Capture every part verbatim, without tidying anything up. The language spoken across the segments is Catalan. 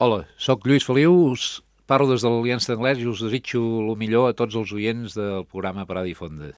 Hola, sóc Lluís Feliu, us parlo des de l'Aliança d'Anglès i us desitjo el millor a tots els oients del programa Parada i Fonda.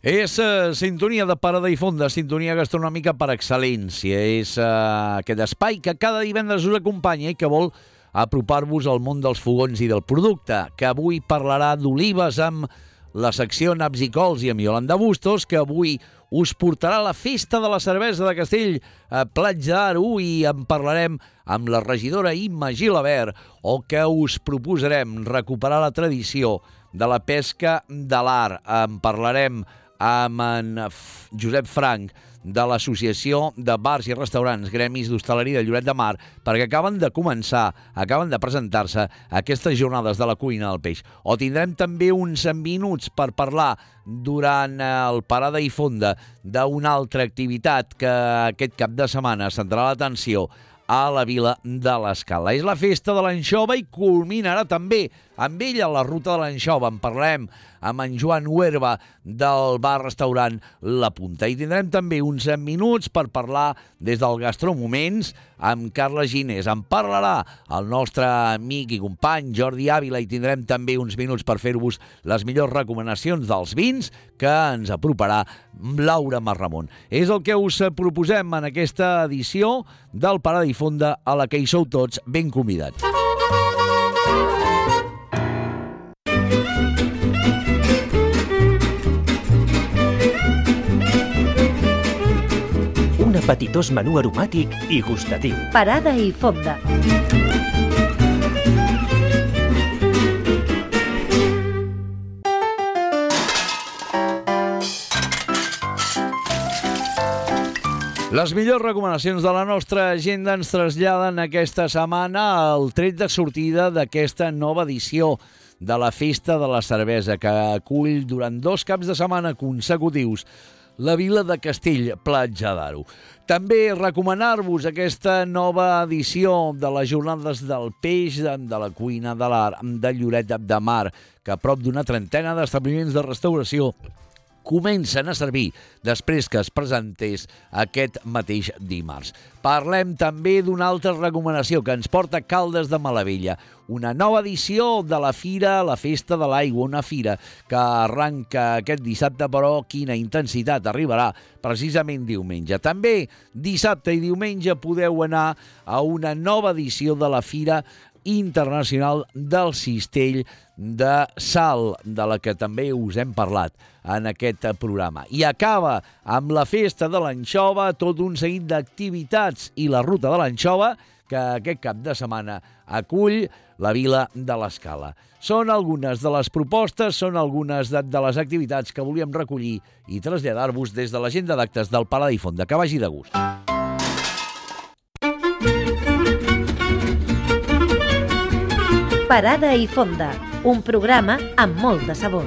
És uh, sintonia de Parada i Fonda, sintonia gastronòmica per excel·lència. És uh, aquest espai que cada divendres us acompanya i que vol apropar-vos al món dels fogons i del producte, que avui parlarà d'olives amb la secció Naps i Cols i amb Iolanda Bustos, que avui us portarà a la Festa de la Cervesa de Castell a Platja d'Aro i en parlarem amb la regidora Imma Gilabert, o que us proposarem recuperar la tradició de la pesca de l'art. En parlarem amb en Josep Frank de l'Associació de Bars i Restaurants Gremis d'Hostaleria de Lloret de Mar, perquè acaben de començar, acaben de presentar-se aquestes jornades de la cuina del peix. O tindrem també uns minuts per parlar durant el Parada i Fonda d'una altra activitat que aquest cap de setmana centrarà l'atenció a la vila de l'Escala. És la festa de l'anxova i culminarà també amb ella la ruta de l'anxova. En parlarem amb en Joan Huerva del bar-restaurant La Punta. I tindrem també uns minuts per parlar des del Gastromoments amb Carles Ginés. En parlarà el nostre amic i company Jordi Ávila i tindrem també uns minuts per fer-vos les millors recomanacions dels vins que ens aproparà Laura Marramon. És el que us proposem en aquesta edició del Parada i Fonda, a la que hi sou tots ben convidats. Un apetitós menú aromàtic i gustatiu. Parada i Fonda. Les millors recomanacions de la nostra agenda ens traslladen aquesta setmana al tret de sortida d'aquesta nova edició de la Festa de la Cervesa, que acull durant dos caps de setmana consecutius la vila de Castell, Platja d'Aro. També recomanar-vos aquesta nova edició de les Jornades del Peix de la Cuina de l'Art de Lloret de Mar, que a prop d'una trentena d'establiments de restauració comencen a servir després que es presentés aquest mateix dimarts. Parlem també d'una altra recomanació que ens porta Caldes de Malavella, una nova edició de la Fira, la Festa de l'Aigua, una fira que arranca aquest dissabte, però quina intensitat arribarà precisament diumenge. També dissabte i diumenge podeu anar a una nova edició de la Fira Internacional del Cistell de Sal, de la que també us hem parlat en aquest programa. I acaba amb la Festa de l'Anxova, tot un seguit d'activitats i la Ruta de l'Anxova, que aquest cap de setmana acull la vila de l'Escala. Són algunes de les propostes, són algunes de, de les activitats que volíem recollir i traslladar-vos des de l'agenda d'actes del Parada i Fonda. Que vagi de gust. Parada i Fonda, un programa amb molt de sabor.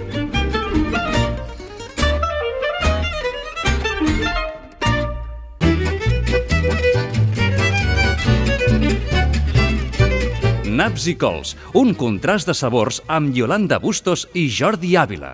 Naps i Cols, un contrast de sabors amb Iolanda Bustos i Jordi Ávila.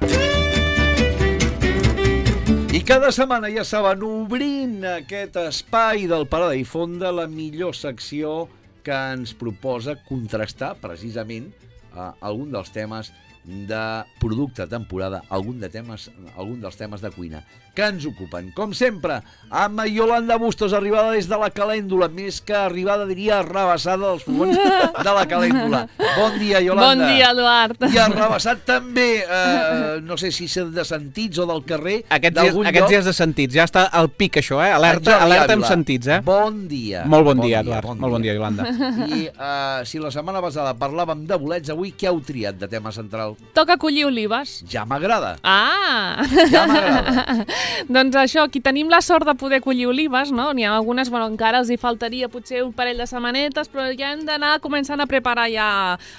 I cada setmana, ja saben, obrint aquest espai del Parada i Fonda, la millor secció que ens proposa contrastar precisament eh, algun dels temes de producte temporada, algun, de temes, algun dels temes de cuina que ens ocupen. Com sempre, amb Iolanda Bustos, arribada des de la Calèndula, més que arribada, diria, arrabassada dels fogons de la Calèndula. Bon dia, Iolanda. Bon dia, Eduard. I arrabassat també, eh, no sé si és de sentits o del carrer, aquests d'algun dies, aquests lloc. dies de sentits, ja està al pic això, eh? Alerta, alerta amb sentits, eh? Bon dia. Molt bon, bon dia, Eduard. Bon Molt bon dia, Iolanda. I uh, si la setmana passada parlàvem de bolets, avui què heu triat de tema central? Toca collir olives. Ja m'agrada. Ah! Ja m'agrada. Doncs això, aquí tenim la sort de poder collir olives, no? N'hi ha algunes, bueno, encara els hi faltaria potser un parell de setmanetes, però ja hem d'anar començant a preparar ja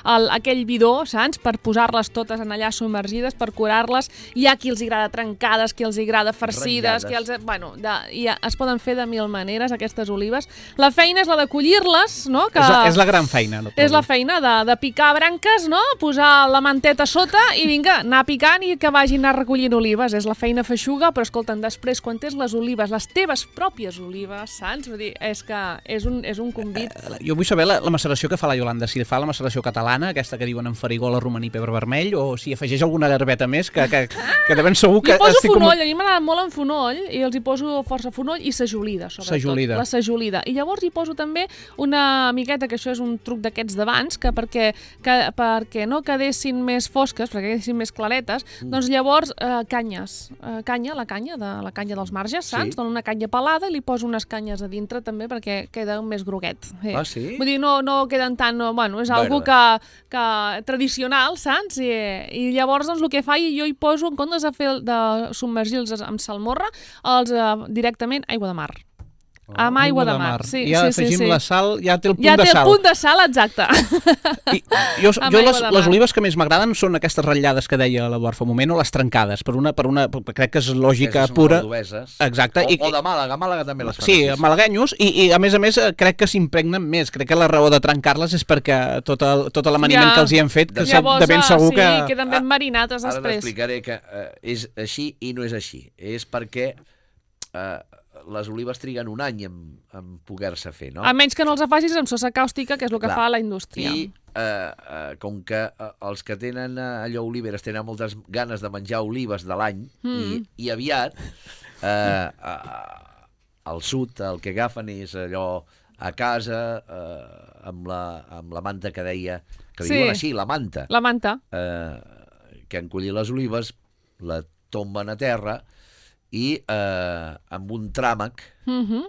el, aquell bidó, saps? Per posar-les totes en allà submergides, per curar-les. Hi ha qui els agrada trencades, qui els agrada farcides, qui els... Bueno, de, i es poden fer de mil maneres, aquestes olives. La feina és la de collir-les, no? Que és, la, és la gran feina. No? És la feina de, de picar branques, no? Posar la manteta sota sota i vinga, anar picant i que vagin anar recollint olives. És la feina feixuga, però escolta'm, després, quan tens les olives, les teves pròpies olives, saps? Vull dir, és que és un, és un convit. Eh, jo vull saber la, la maceració que fa la Iolanda, si fa la maceració catalana, aquesta que diuen en farigola, romaní, pebre vermell, o si afegeix alguna herbeta més, que, que, que de ben segur que... Jo poso estic fonoll, com... a mi m'agrada molt en fonoll, i els hi poso força fonoll i sajolida, sobretot. Sajolida. La sajolida. I llavors hi poso també una miqueta, que això és un truc d'aquests d'abans, que perquè, que perquè no quedessin més fosques, perquè quedessin més claretes, mm. doncs llavors eh, canyes, eh, canya, la canya, de, la canya dels marges, saps? Sí. Dono una canya pelada i li poso unes canyes a dintre també perquè queda més groguet. Eh. Ah, sí? Vull dir, no, no queden tan... No, bueno, és algo que, que tradicional, saps? I, i llavors doncs el que fa, jo hi poso, en comptes de, fer, de submergir-los amb salmorra, els eh, directament aigua de mar. Oh, amb aigua de mar. Sí, ja sí, afegim sí, sí. la sal, ja té el punt ja de sal. Ja té el punt de sal, exacte. I jo, jo les, les olives que més m'agraden són aquestes ratllades que deia l'Eduard fa un moment, o les trencades, per una, per una, crec que és lògica pura. Exacte. O, I, o de Màlaga, Màlaga també les fan. Sí, malaguenyos, i, i a més a més crec que s'impregnen més. Crec que la raó de trencar-les és perquè tot, el, tot l'amaniment ja, que els hi hem fet, que llavors, de ben segur sí, que... Sí, queden ben marinates després. Ara t'explicaré que uh, és així i no és així. És perquè... Uh, les olives triguen un any en, en poder-se fer, no? A menys que no els facis amb sosa càustica, que és el que Clar. fa la indústria. I eh, eh, com que eh, els que tenen eh, allò oliveres tenen moltes ganes de menjar olives de l'any, mm. i, i aviat eh, eh, al sud el que agafen és allò a casa eh, amb, la, amb la manta que deia, que li sí. diuen així, la manta. La manta. Eh, que han collit les olives, la tomben a terra, i eh, amb un tràmac mm-hmm.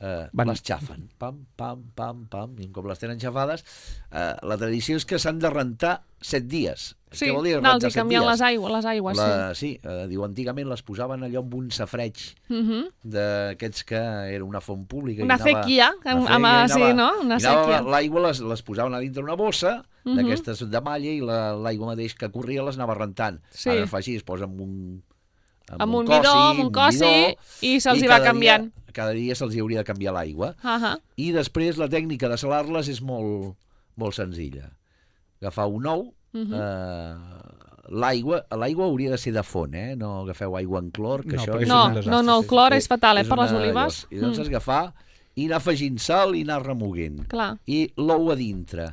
eh, les xafen. Pam, pam, pam, pam. I com les tenen xafades, eh, la tradició és que s'han de rentar set dies. Sí, què vol dir no, els rentar hi set canvien dies? les aigües, les aigües la, sí. Sí, eh, diu, antigament les posaven allò amb un safreig mm-hmm. d'aquests que era una font pública. Una anava, sequia, una amb, feia, sí, no? Una sequia. L'aigua les, les posaven a dintre una bossa, mm-hmm. d'aquestes de malla, i l'aigua la, mateix que corria les anava rentant. Sí. Ara fa així, es posa amb un... amb, amb un bidó, amb un cossi, i se'ls hi va canviant. Dia, cada dia se'ls hi hauria de canviar l'aigua. Uh-huh. I després la tècnica de salar-les és molt, molt senzilla. Agafar un ou, uh-huh. eh, l'aigua l'aigua hauria de ser de font, eh? No agafeu aigua en clor, que no, això... És no, no, no, el clor és, és fatal, eh, és per les una, olives. I doncs has d'agafar i anar afegint sal i anar remoguent. Clar. I l'ou a dintre.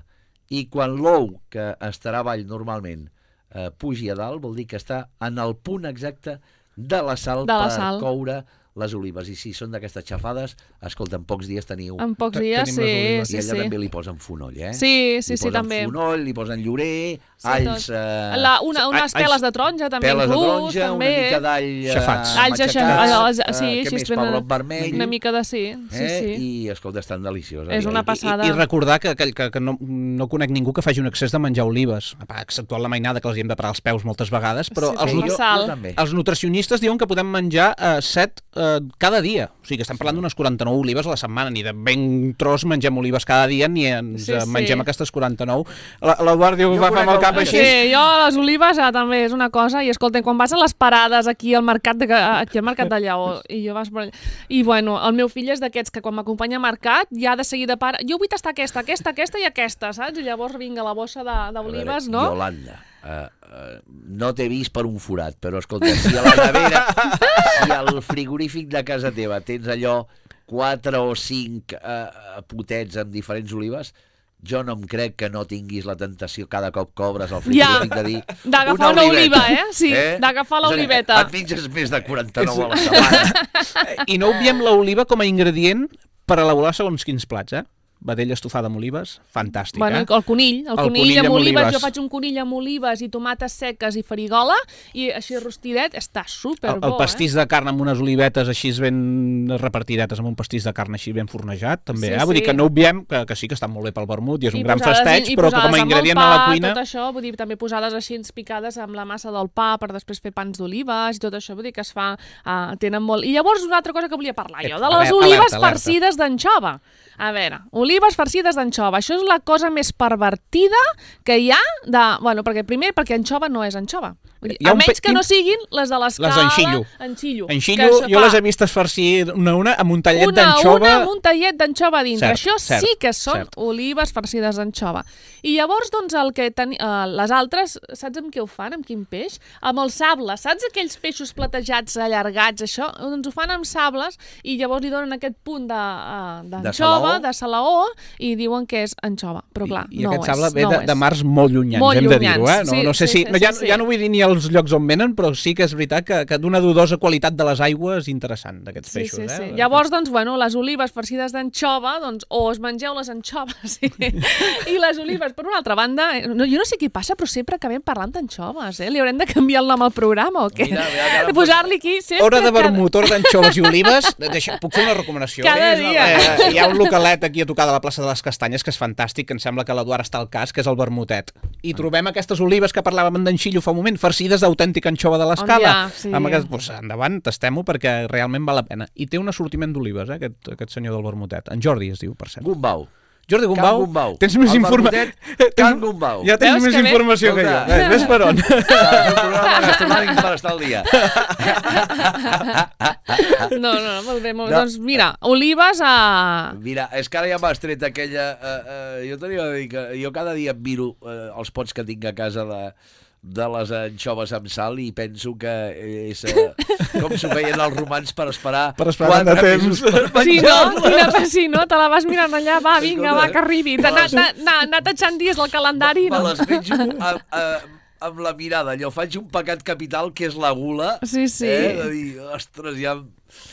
I quan l'ou, que estarà avall normalment, eh, pugi a dalt, vol dir que està en el punt exacte de la sal de la per sal. coure les olives. I si són d'aquestes xafades, escolta, en pocs dies teniu... En pocs dies, sí, sí, I allà sí. també li posen fonoll, eh? Sí, sí, li sí, també. Li posen fonoll, li posen llorer, sí, alls... Eh... La, una, unes peles de taronja, també, peles inclús, de taronja, també. una mica d'all xafats. Eh, Alls matxacats, eh, sí, eh, què més, pebrot vermell. Una mica de sí, sí, eh? sí. I, escolta, estan delicioses. És una passada. I, i recordar que, que, que, que no, no conec ningú que faci un excés de menjar olives, exceptuant la mainada, que els hi hem de parar els peus moltes vegades, però sí, els, sí, jo, jo els nutricionistes diuen que podem menjar eh, set eh, cada dia. O sigui, que estem parlant d'unes quaranta-nou olives a la setmana, ni de ben tros mengem olives cada dia, ni ens sí, sí. mengem aquestes quaranta-nou. L'Eduard diu que va amb el cap així. Sí, jo les olives ah, també és una cosa, i escolta, quan vas a les parades aquí al mercat de, aquí al mercat de Lleó, i jo vas per allà, i bueno, el meu fill és d'aquests que quan m'acompanya al mercat ja de seguida para, jo vull tastar aquesta, aquesta, aquesta i aquesta, saps? I llavors vinga la bossa d'olives, no? Iolanda, Uh, uh, no t'he vist per un forat, però escolta, si a la nevera, si al frigorífic de casa teva tens allò quatre o cinc uh, potets amb diferents olives, jo no em crec que no tinguis la tentació cada cop que obres el frigorífic ja, de dir d'agafar una, una oliva, eh? Sí, eh? d'agafar l'oliveta. Et menges més de quaranta-nou a la setmana. I no obviem l'oliva com a ingredient per elaborar segons quins plats, eh? Vedella estofada amb olives, fantàstic, bueno, eh? El conill, el, el conill, conill amb, amb olives. olives. Jo faig un conill amb olives i tomates seques i farigola, i així rostidet, està superbo, el, el pastís eh? de carn amb unes olivetes així ben repartidetes, amb un pastís de carn així ben fornejat, també, sí, eh? Vull sí. dir que no obviem que, que sí que està molt bé pel vermut i és I un gran festeig, però que com a ingredient pa, a la cuina... Tot això, vull dir, també posades així picades amb la massa del pa per després fer pans d'olives i tot això, vull dir que es fa... Uh, tenen molt... I llavors una altra cosa que volia parlar jo, de les veure, olives alerta, alerta. farcides d'anxova. A veure, olives olives farcides d'anxova. Això és la cosa més pervertida que hi ha, de, bueno, perquè primer perquè anxova no és anxova. A menys que no siguin les de l'escala... Les d'enxillo. Enxillo. Enxillo, jo les he vistes farcir una a una amb un tallet d'anxova... Una a una amb un tallet d'anxova dintre. Cert, Això cert, sí que són cert. olives farcides d'anxova. I llavors, doncs, el que ten... uh, les altres, saps amb què ho fan? Amb quin peix? Amb el sable. Saps aquells peixos platejats, allargats, això? Doncs ho fan amb sables i llavors li donen aquest punt de, uh, d'anxova, de salaó, i diuen que és anxova. Però clar, I, i no aquest ho és. sable ve no de, de mars molt llunyans, molt hem de dir-ho, eh? llunyans, No, sí, no sé sí, si... sí, No, ja, sí, ja no vull dir ni els llocs on venen, però sí que és veritat que, que d'una dudosa qualitat de les aigües interessant, d'aquests Sí, peixos. sí, sí. Eh? Llavors, doncs, bueno, les olives farcides d'anxova, doncs, o es mengeu les anxoves i, i les olives. Per una altra banda, no, jo no sé què passa, però sempre acabem parlant d'anxoves, eh? Li haurem de canviar el nom al programa o què? Mira, mira, mira, de posar-li aquí sempre... Hora de cada- vermut, hora d'anxoves i olives. Deixa, puc fer una recomanació? Cada Eh, dia. Eh, hi ha un localet aquí a tocar de la plaça de les Castanyes que és fantàstic, que em sembla que l'Eduard està al cas, que és el vermutet. I trobem aquestes olives que parlàvem d'enxillo fa un moment, farcides d'autèntica anxova de l'escala. On hi ha, sí. Amb aquest, doncs, endavant, tastem-ho perquè realment val la pena. I té un assortiment d'olives, eh, aquest, aquest senyor del vermutet. En Jordi es diu, per cert. Gumbau. Jordi Gumbau, Can Gumbau. tens més El informació. vermutet, Can Gumbau. Ja tens Veus més que bé? informació que jo. Escolta. Eh, ves per on. És un programa gastronòmic per estar al dia. No, no, no, molt bé, molt bé. No. Doncs mira, olives a... Mira, és que ara ja m'has tret aquella... Eh, eh, jo tenia de dir que jo cada dia em miro eh, els pots que tinc a casa de, de les anxoves amb sal i penso que és eh, com s'ho feien els romans per esperar Per esperar quatre de temps. mesos per Sí, no? menjar-les. Quina, sí, no? Te la vas mirant allà, va, vinga, Escolta, va, que arribi. me Anar les- anar- anar- anar tatxant dies al calendari, Me no? les menjo amb, amb, amb la mirada. Allò faig un pecat capital que és la gula. Sí, sí. Eh, de dir, ostres, ja...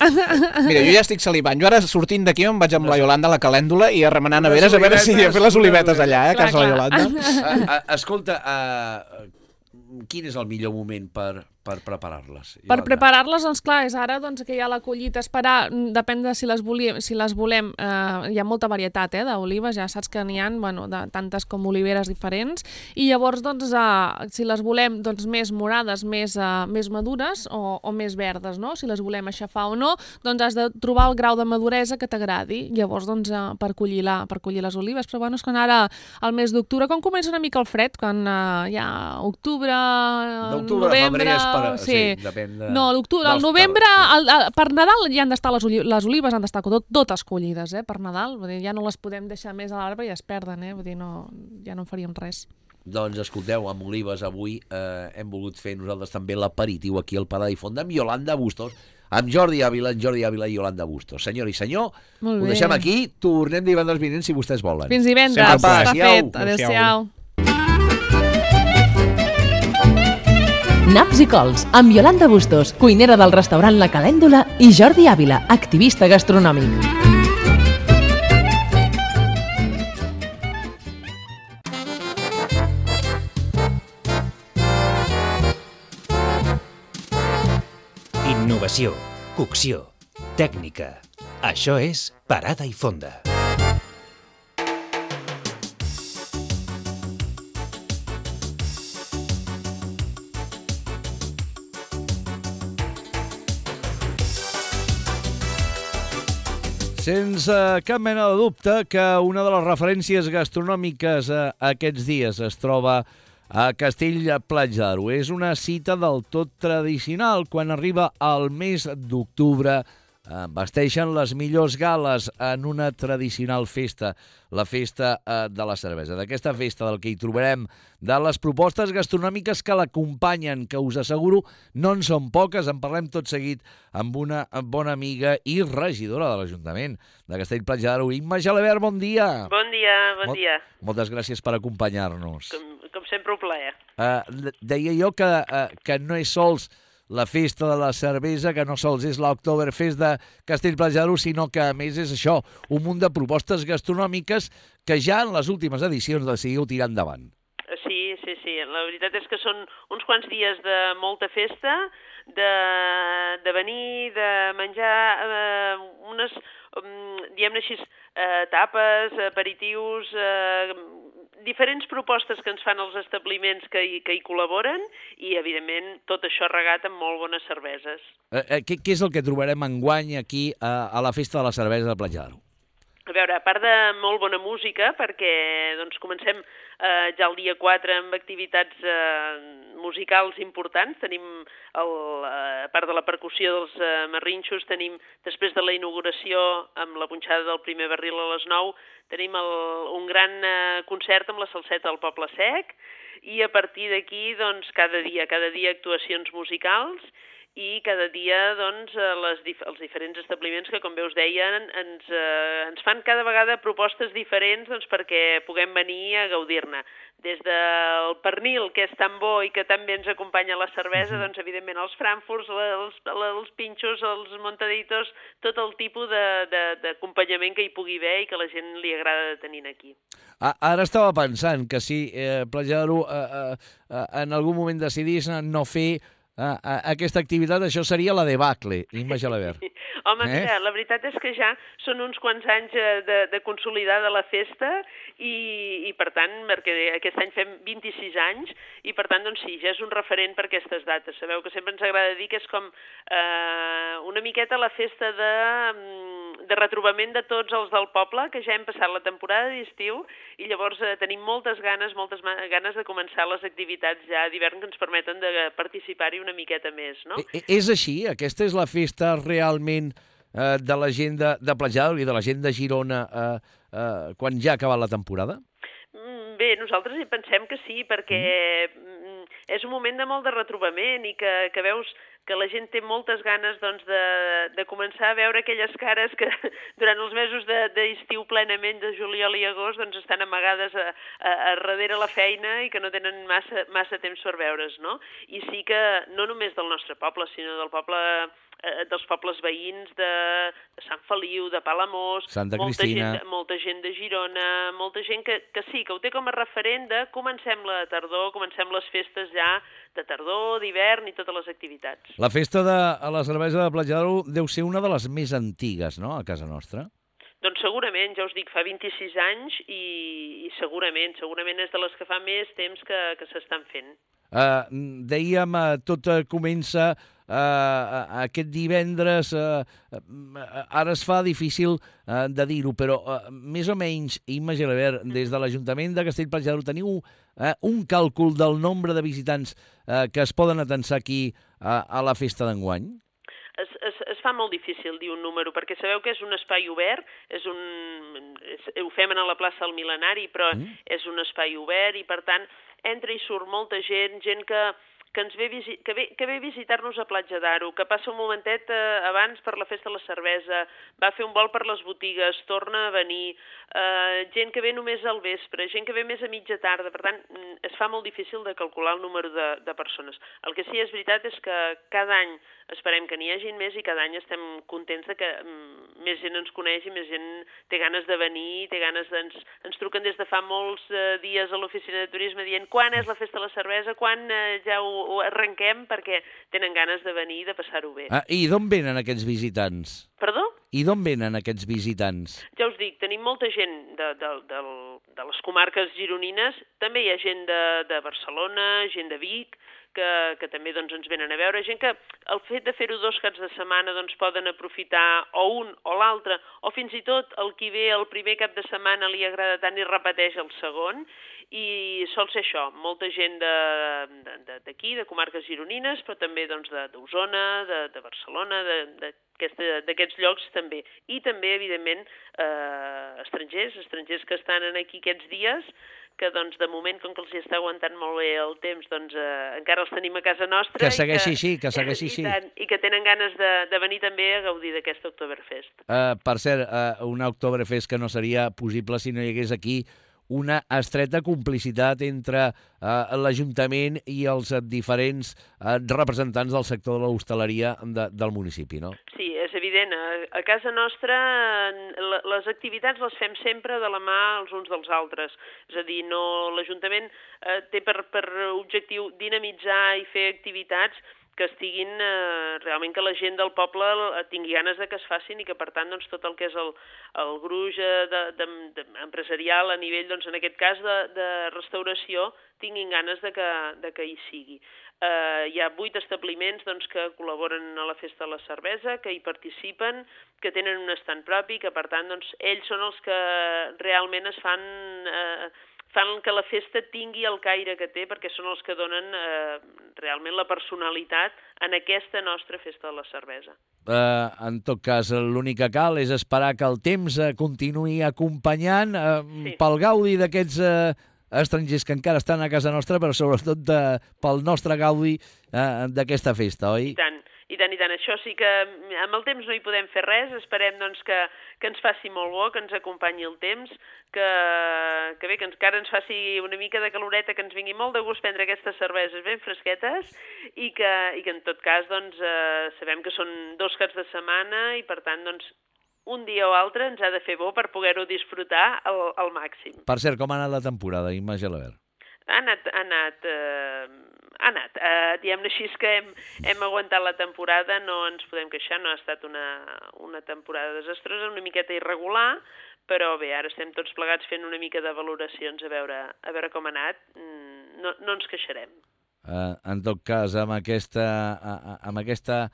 Mira, jo ja estic salivant. Jo ara sortint d'aquí em vaig amb la Iolanda a la calèndula i a remenar neveres a veure si olivetes, a fer les olivetes allà, eh, a Clar, casa de la clar. Iolanda. Uh, uh, escolta, uh, quin és el millor moment per, per preparar-les? Per Iolanda? preparar-les, doncs clar, és ara doncs, que hi ha la collita a esperar, mm, depèn de si les, volíem, si les volem, eh, hi ha molta varietat eh, d'olives, ja saps que n'hi ha bueno, de tantes com oliveres diferents, i llavors doncs, eh, si les volem doncs, més morades, més, eh, més madures o, o més verdes, no? Si les volem aixafar o no, doncs has de trobar el grau de maduresa que t'agradi, llavors doncs, eh, per, collir la, per collir les olives, però bueno, és quan ara al mes d'octubre, quan comença una mica el fred, quan eh, hi ha octubre, D'octubre a novembre... febrer és per... sí. Sí, depèn de... No, l'octubre, al dels novembre, terres, al, al, per Nadal ja han d'estar les, oli les olives, han d'estar tot, totes collides, eh, per Nadal. Vull dir, ja no les podem deixar més a l'arbre i ja es perden, eh? Vull dir, no, ja no en faríem res. Doncs escolteu, amb olives avui eh, hem volgut fer nosaltres també l'aperitiu aquí al Parar i Fonda amb Iolanda Bustos, amb Jordi Ávila, en Jordi Ávila i Iolanda Bustos. Senyor i senyor, Molt ho bé. deixem aquí, tornem divendres vinent si vostès volen. Fins divendres. Sempre Està pas. fet. Adéu-siau. Adéu-siau. Naps i cols, amb Iolanda Bustos, cuinera del restaurant La Calèndula, i Jordi Ávila, activista gastronòmic. Innovació, cocció, tècnica. Això és Parada i Fonda. Sense cap mena de dubte que una de les referències gastronòmiques eh, aquests dies es troba a Castell-Platja d'Aro. És una cita del tot tradicional. Quan arriba el mes d'octubre, eh, vesteixen les millors gales en una tradicional festa, la festa eh, de la cervesa. D'aquesta festa del que hi trobarem, de les propostes gastronòmiques que l'acompanyen, que us asseguro no en són poques. En parlem tot seguit amb una bona amiga i regidora de l'Ajuntament de Castell-Platja d'Aro, Imma Gelabert, bon dia. Bon dia, bon Mol- dia. Moltes gràcies per acompanyar-nos. Com, com sempre, un plaer. Uh, deia jo que, uh, que no és sols la festa de la cervesa, que no sols és l'Oktoberfest de Castell-Platja d'Aro, sinó que a més és això, un munt de propostes gastronòmiques que ja en les últimes edicions decidiu tirar endavant. Sí, sí, sí. La veritat és que són uns quants dies de molta festa, de, de venir, de menjar eh, unes, um, diguem-ne així, eh, tapes, aperitius, eh, diferents propostes que ens fan els establiments que hi, que hi col·laboren i, evidentment, tot això regat amb molt bones cerveses. Uh, uh, què, què és el que trobarem enguany aquí uh, a la festa de la cervesa de Platja d'Aro? A veure, a part de molt bona música, perquè doncs, comencem eh, ja el dia quatre amb activitats eh, musicals importants, tenim, el, eh, a part de la percussió dels eh, marrinxos, tenim, després de la inauguració amb la punxada del primer barril a les nou, tenim el, un gran eh, concert amb la salseta del Poble Sec, i a partir d'aquí, doncs, cada dia, cada dia actuacions musicals, i cada dia doncs, les, els diferents establiments que, com bé us deien, ens, eh, ens fan cada vegada propostes diferents doncs, perquè puguem venir a gaudir-ne. Des del pernil, que és tan bo i que tan bé ens acompanya la cervesa, doncs, evidentment, els frankfurts, els, els pinxos, els montaditos, tot el tipus d'acompanyament que hi pugui haver i que la gent li agrada tenir aquí. Ara estava pensant que si eh, Platja d'Aro eh, eh, en algun moment decidís no fer Uh, uh, aquesta activitat, això seria la debacle, Imma Gelabert. Home, eh? mira, la veritat és que ja són uns quants anys de, de consolidar de la festa i, i per tant, perquè aquest any fem vint-i-sis anys i per tant, doncs sí, ja és un referent per aquestes dates. Sabeu que sempre ens agrada dir que és com eh, una miqueta la festa de, de retrobament de tots els del poble, que ja hem passat la temporada d'estiu i llavors eh, tenim moltes ganes, moltes ganes de començar les activitats ja d'hivern que ens permeten de participar-hi una miqueta més, no? És així? Aquesta és la festa realment eh, de la gent de, de Platja d'Aro i de la gent de Girona eh, eh, quan ja ha acabat la temporada? Bé, nosaltres hi pensem que sí, perquè mm. és un moment de molt de retrobament i que, que veus que la gent té moltes ganes doncs, de, de començar a veure aquelles cares que durant els mesos d'estiu de, plenament, de juliol i agost, doncs, estan amagades a, a, a darrere la feina i que no tenen massa, massa temps per veure's, no? I sí que no només del nostre poble, sinó del poble eh, dels pobles veïns de, de Sant Feliu, de Palamós, Santa molta Cristina. gent, molta gent de Girona, molta gent que, que sí, que ho té com a referent de comencem la tardor, comencem les festes ja de tardor, d'hivern i totes les activitats. La festa de a la cervesa de Platja d'Aro deu ser una de les més antigues, no?, a casa nostra. Doncs segurament, ja us dic, fa vint-i-sis anys i, i segurament, segurament és de les que fa més temps que, que s'estan fent. Uh, dèiem, uh, tot uh, comença uh, aquest divendres, uh, uh, ara es fa difícil uh, de dir-ho, però uh, més o menys, Imma Gelabert, des de l'Ajuntament de Castell-Platja d'Aro teniu uh, un càlcul del nombre de visitants uh, que es poden atensar aquí uh, a la festa d'enguany? Es, es, es fa molt difícil dir un número, perquè sabeu que és un espai obert, és un, és, ho fem a la plaça del Mil·lenari, però mm. és un espai obert i, per tant, entra i surt molta gent, gent que, que, ens ve, visi que, ve, que ve a visitar-nos a Platja d'Aro, que passa un momentet eh, abans per la festa de la cervesa, va a fer un vol per les botigues, torna a venir, eh, gent que ve només al vespre, gent que ve més a mitja tarda, per tant, es fa molt difícil de calcular el número de, de persones. El que sí és veritat és que cada any esperem que n'hi hagi més i cada any estem contents de que mm, més gent ens coneix i més gent té ganes de venir, té ganes de... Ens, ens truquen des de fa molts eh, dies a l'oficina de turisme dient quan és la festa de la cervesa, quan eh, ja ho, ho arrenquem, perquè tenen ganes de venir i de passar-ho bé. Ah, I d'on venen aquests visitants? Perdó? I d'on venen aquests visitants? Ja us dic, tenim molta gent de, de, de, de les comarques gironines, també hi ha gent de, de Barcelona, gent de Vic, que, que també doncs, ens venen a veure, gent que el fet de fer-ho dos caps de setmana doncs, poden aprofitar o un o l'altre, o fins i tot el qui ve el primer cap de setmana li agrada tant i repeteix el segon, i sol ser això, molta gent d'aquí, de, de, de comarques gironines, però també doncs, d'Osona, de, de Barcelona, d'aquests llocs també. I també, evidentment, eh, estrangers, estrangers que estan aquí aquests dies, que doncs, de moment, com que els hi està aguantant molt bé el temps, doncs eh, encara els tenim a casa nostra. Que segueixi així, que segueixi així. I, i que tenen ganes de, de venir també a gaudir d'aquest Oktoberfest. Uh, per cert, uh, un Oktoberfest que no seria possible si no hi hagués aquí una estreta complicitat entre uh, l'Ajuntament i els diferents uh, representants del sector de l'hostaleria de, del municipi, no? Sí, és evident. A, a casa nostra les activitats les fem sempre de la mà els uns dels altres. És a dir, no, l'Ajuntament eh, té per, per objectiu dinamitzar i fer activitats que que estiguin, eh, realment que la gent del poble tingui ganes de que es facin i que, per tant, doncs, tot el que és el, el gruix de, de, de, empresarial a nivell, doncs, en aquest cas, de, de restauració, tinguin ganes de que, de que hi sigui. Eh, hi ha vuit establiments doncs, que col·laboren a la Festa de la Cervesa, que hi participen, que tenen un estand propi, que, per tant, doncs, ells són els que realment es fan... Eh, fan que la festa tingui el caire que té, perquè són els que donen eh, realment la personalitat en aquesta nostra Festa de la Cervesa. Eh, en tot cas, l'únic que cal és esperar que el temps eh, continuï acompanyant eh, sí. pel gaudi d'aquests eh, estrangers que encara estan a casa nostra, però sobretot de, pel nostre gaudi eh, d'aquesta festa, oi? I tant. I tant, i tant. Això sí que amb el temps no hi podem fer res. Esperem doncs, que, que ens faci molt bo, que ens acompanyi el temps, que, que bé, que encara ens faci una mica de caloreta, que ens vingui molt de gust prendre aquestes cerveses ben fresquetes i que, i que en tot cas doncs, eh, sabem que són dos caps de setmana i per tant doncs, un dia o altre ens ha de fer bo per poder-ho disfrutar al, al màxim. Per cert, com ha anat la temporada, Imma Gelabert? Ha anat, ha anat, eh, ha anat. Eh, diguem-ne així que hem, hem aguantat la temporada, no ens podem queixar, no ha estat una, una temporada desastrosa, una miqueta irregular, però bé, ara estem tots plegats fent una mica de valoracions a veure, a veure com ha anat, no, no ens queixarem. Uh, en tot cas, amb aquesta, uh, amb aquesta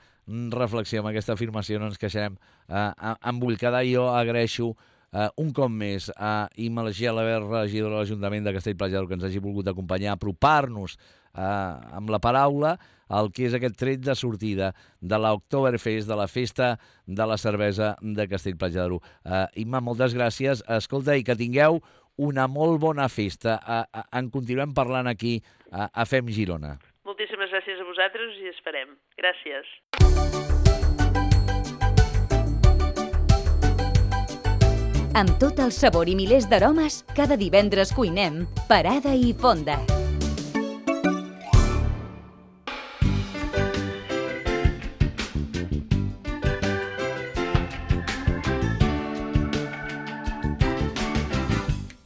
reflexió, amb aquesta afirmació, no ens queixarem. Uh, em vull quedar, jo agraeixo Uh, un cop més a Imma Gelabert, regidora de l'Ajuntament de Castell-Platja d'Aro, que ens hagi volgut acompanyar, apropar-nos uh, amb la paraula el que és aquest tret de sortida de l'Oktoberfest, de la Festa de la Cervesa de Castell-Platja d'Aro. Uh, Imma, moltes gràcies. Escolta, i que tingueu una molt bona festa. Uh, uh, en continuem parlant aquí uh, a Fem Girona. Moltíssimes gràcies a vosaltres i esperem. Gràcies. Amb tot el sabor i milers d'aromes, cada divendres cuinem Parada i Fonda.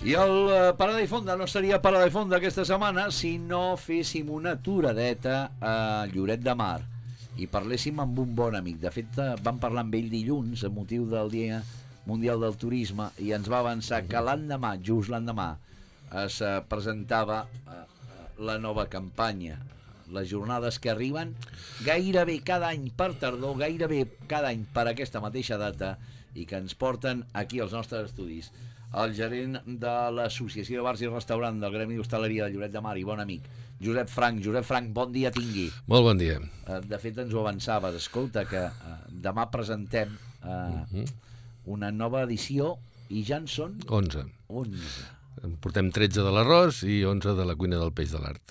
I el uh, Parada i Fonda no seria Parada i Fonda aquesta setmana si no féssim una aturadeta a Lloret de Mar i parléssim amb un bon amic. De fet, vam parlar amb ell dilluns a motiu del Dia Mundial del Turisme i ens va avançar que l'endemà, just l'endemà, es uh, presentava uh, la nova campanya. Les jornades que arriben gairebé cada any per tardor, gairebé cada any per aquesta mateixa data i que ens porten aquí als nostres estudis el gerent de l'Associació de Bars i Restaurant del Gremi d'Hostaleria de Lloret de Mar i bon amic, Josep Frank. Josep Frank, bon dia tingui. Molt bon dia. Uh, de fet, ens ho avançaves. Escolta, que uh, demà presentem... Uh, uh-huh. una nova edició i ja en són... onze. onze. En portem tretze de l'arròs i onze de la cuina del peix de l'art.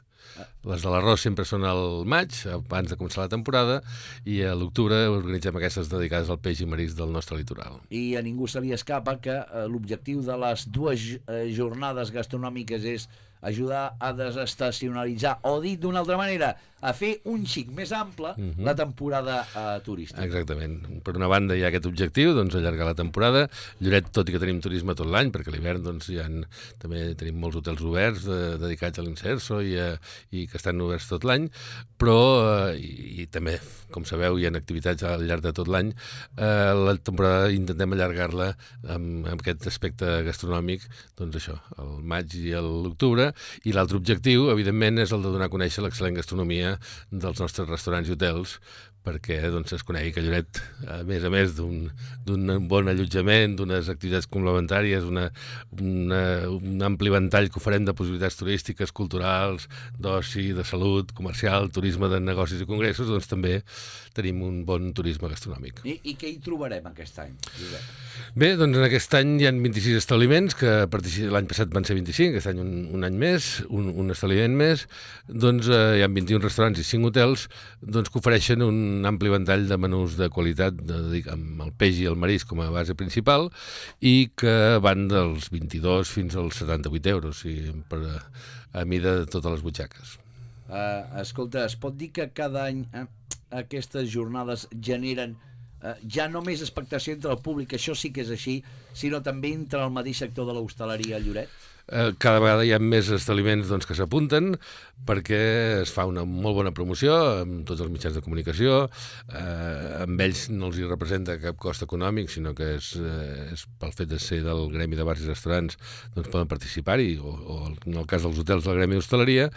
Les de l'arròs sempre són al maig, abans de començar la temporada, i a l'octubre organitzem aquestes dedicades al peix i marisc del nostre litoral. I a ningú se li escapa que eh, l'objectiu de les dues eh, jornades gastronòmiques és ajudar a desestacionalitzar, o dit d'una altra manera, a fer un xic més ample uh-huh. la temporada uh, turística. Exactament. Per una banda hi ha aquest objectiu, doncs allargar la temporada. Lloret, tot i que tenim turisme tot l'any, perquè a l'hivern doncs, hi ha, també tenim molts hotels oberts de, dedicats a l'Inserso i, a, i que estan oberts tot l'any, però, eh, i, i també, com sabeu, hi ha activitats al llarg de tot l'any. Eh, la temporada intentem allargar-la amb, amb aquest aspecte gastronòmic, doncs això, el maig i l'octubre, i l'altre objectiu, evidentment, és el de donar a conèixer l'excel·lent gastronomia dels nostres restaurants i hotels, perquè doncs, es conegui que Lloret, a més a més d'un bon allotjament, d'unes activitats complementàries, una, una, un ampli ventall que oferem de possibilitats turístiques, culturals, d'oci, de salut, comercial, turisme de negocis i congressos, doncs també tenim un bon turisme gastronòmic. I, i què hi trobarem aquest any, Josep? Bé, doncs en aquest any hi ha vint-i-sis establiments, que l'any passat van ser vint-i-cinc, aquest any un, un any més, un, un establiment més, doncs eh, hi ha vint-i-un restaurants i cinc hotels doncs, que ofereixen un un ampli ventall de menús de qualitat de, de, amb el peix i el marisc com a base principal i que van dels vint-i-dos fins als setanta-vuit euros i per, a mida de totes les butxaques. Uh, escolta, es pot dir que cada any eh, aquestes jornades generen uh, ja no més expectació entre el públic, això sí que és així, sinó també entre el mateix sector de l'hostaleria a Lloret? eh, cada vegada hi ha més establiments doncs, que s'apunten perquè es fa una molt bona promoció amb tots els mitjans de comunicació, eh, amb ells no els hi representa cap cost econòmic, sinó que és, eh, és pel fet de ser del gremi de bars i restaurants, doncs poden participar-hi, o, o en el cas dels hotels del gremi d'hostaleria,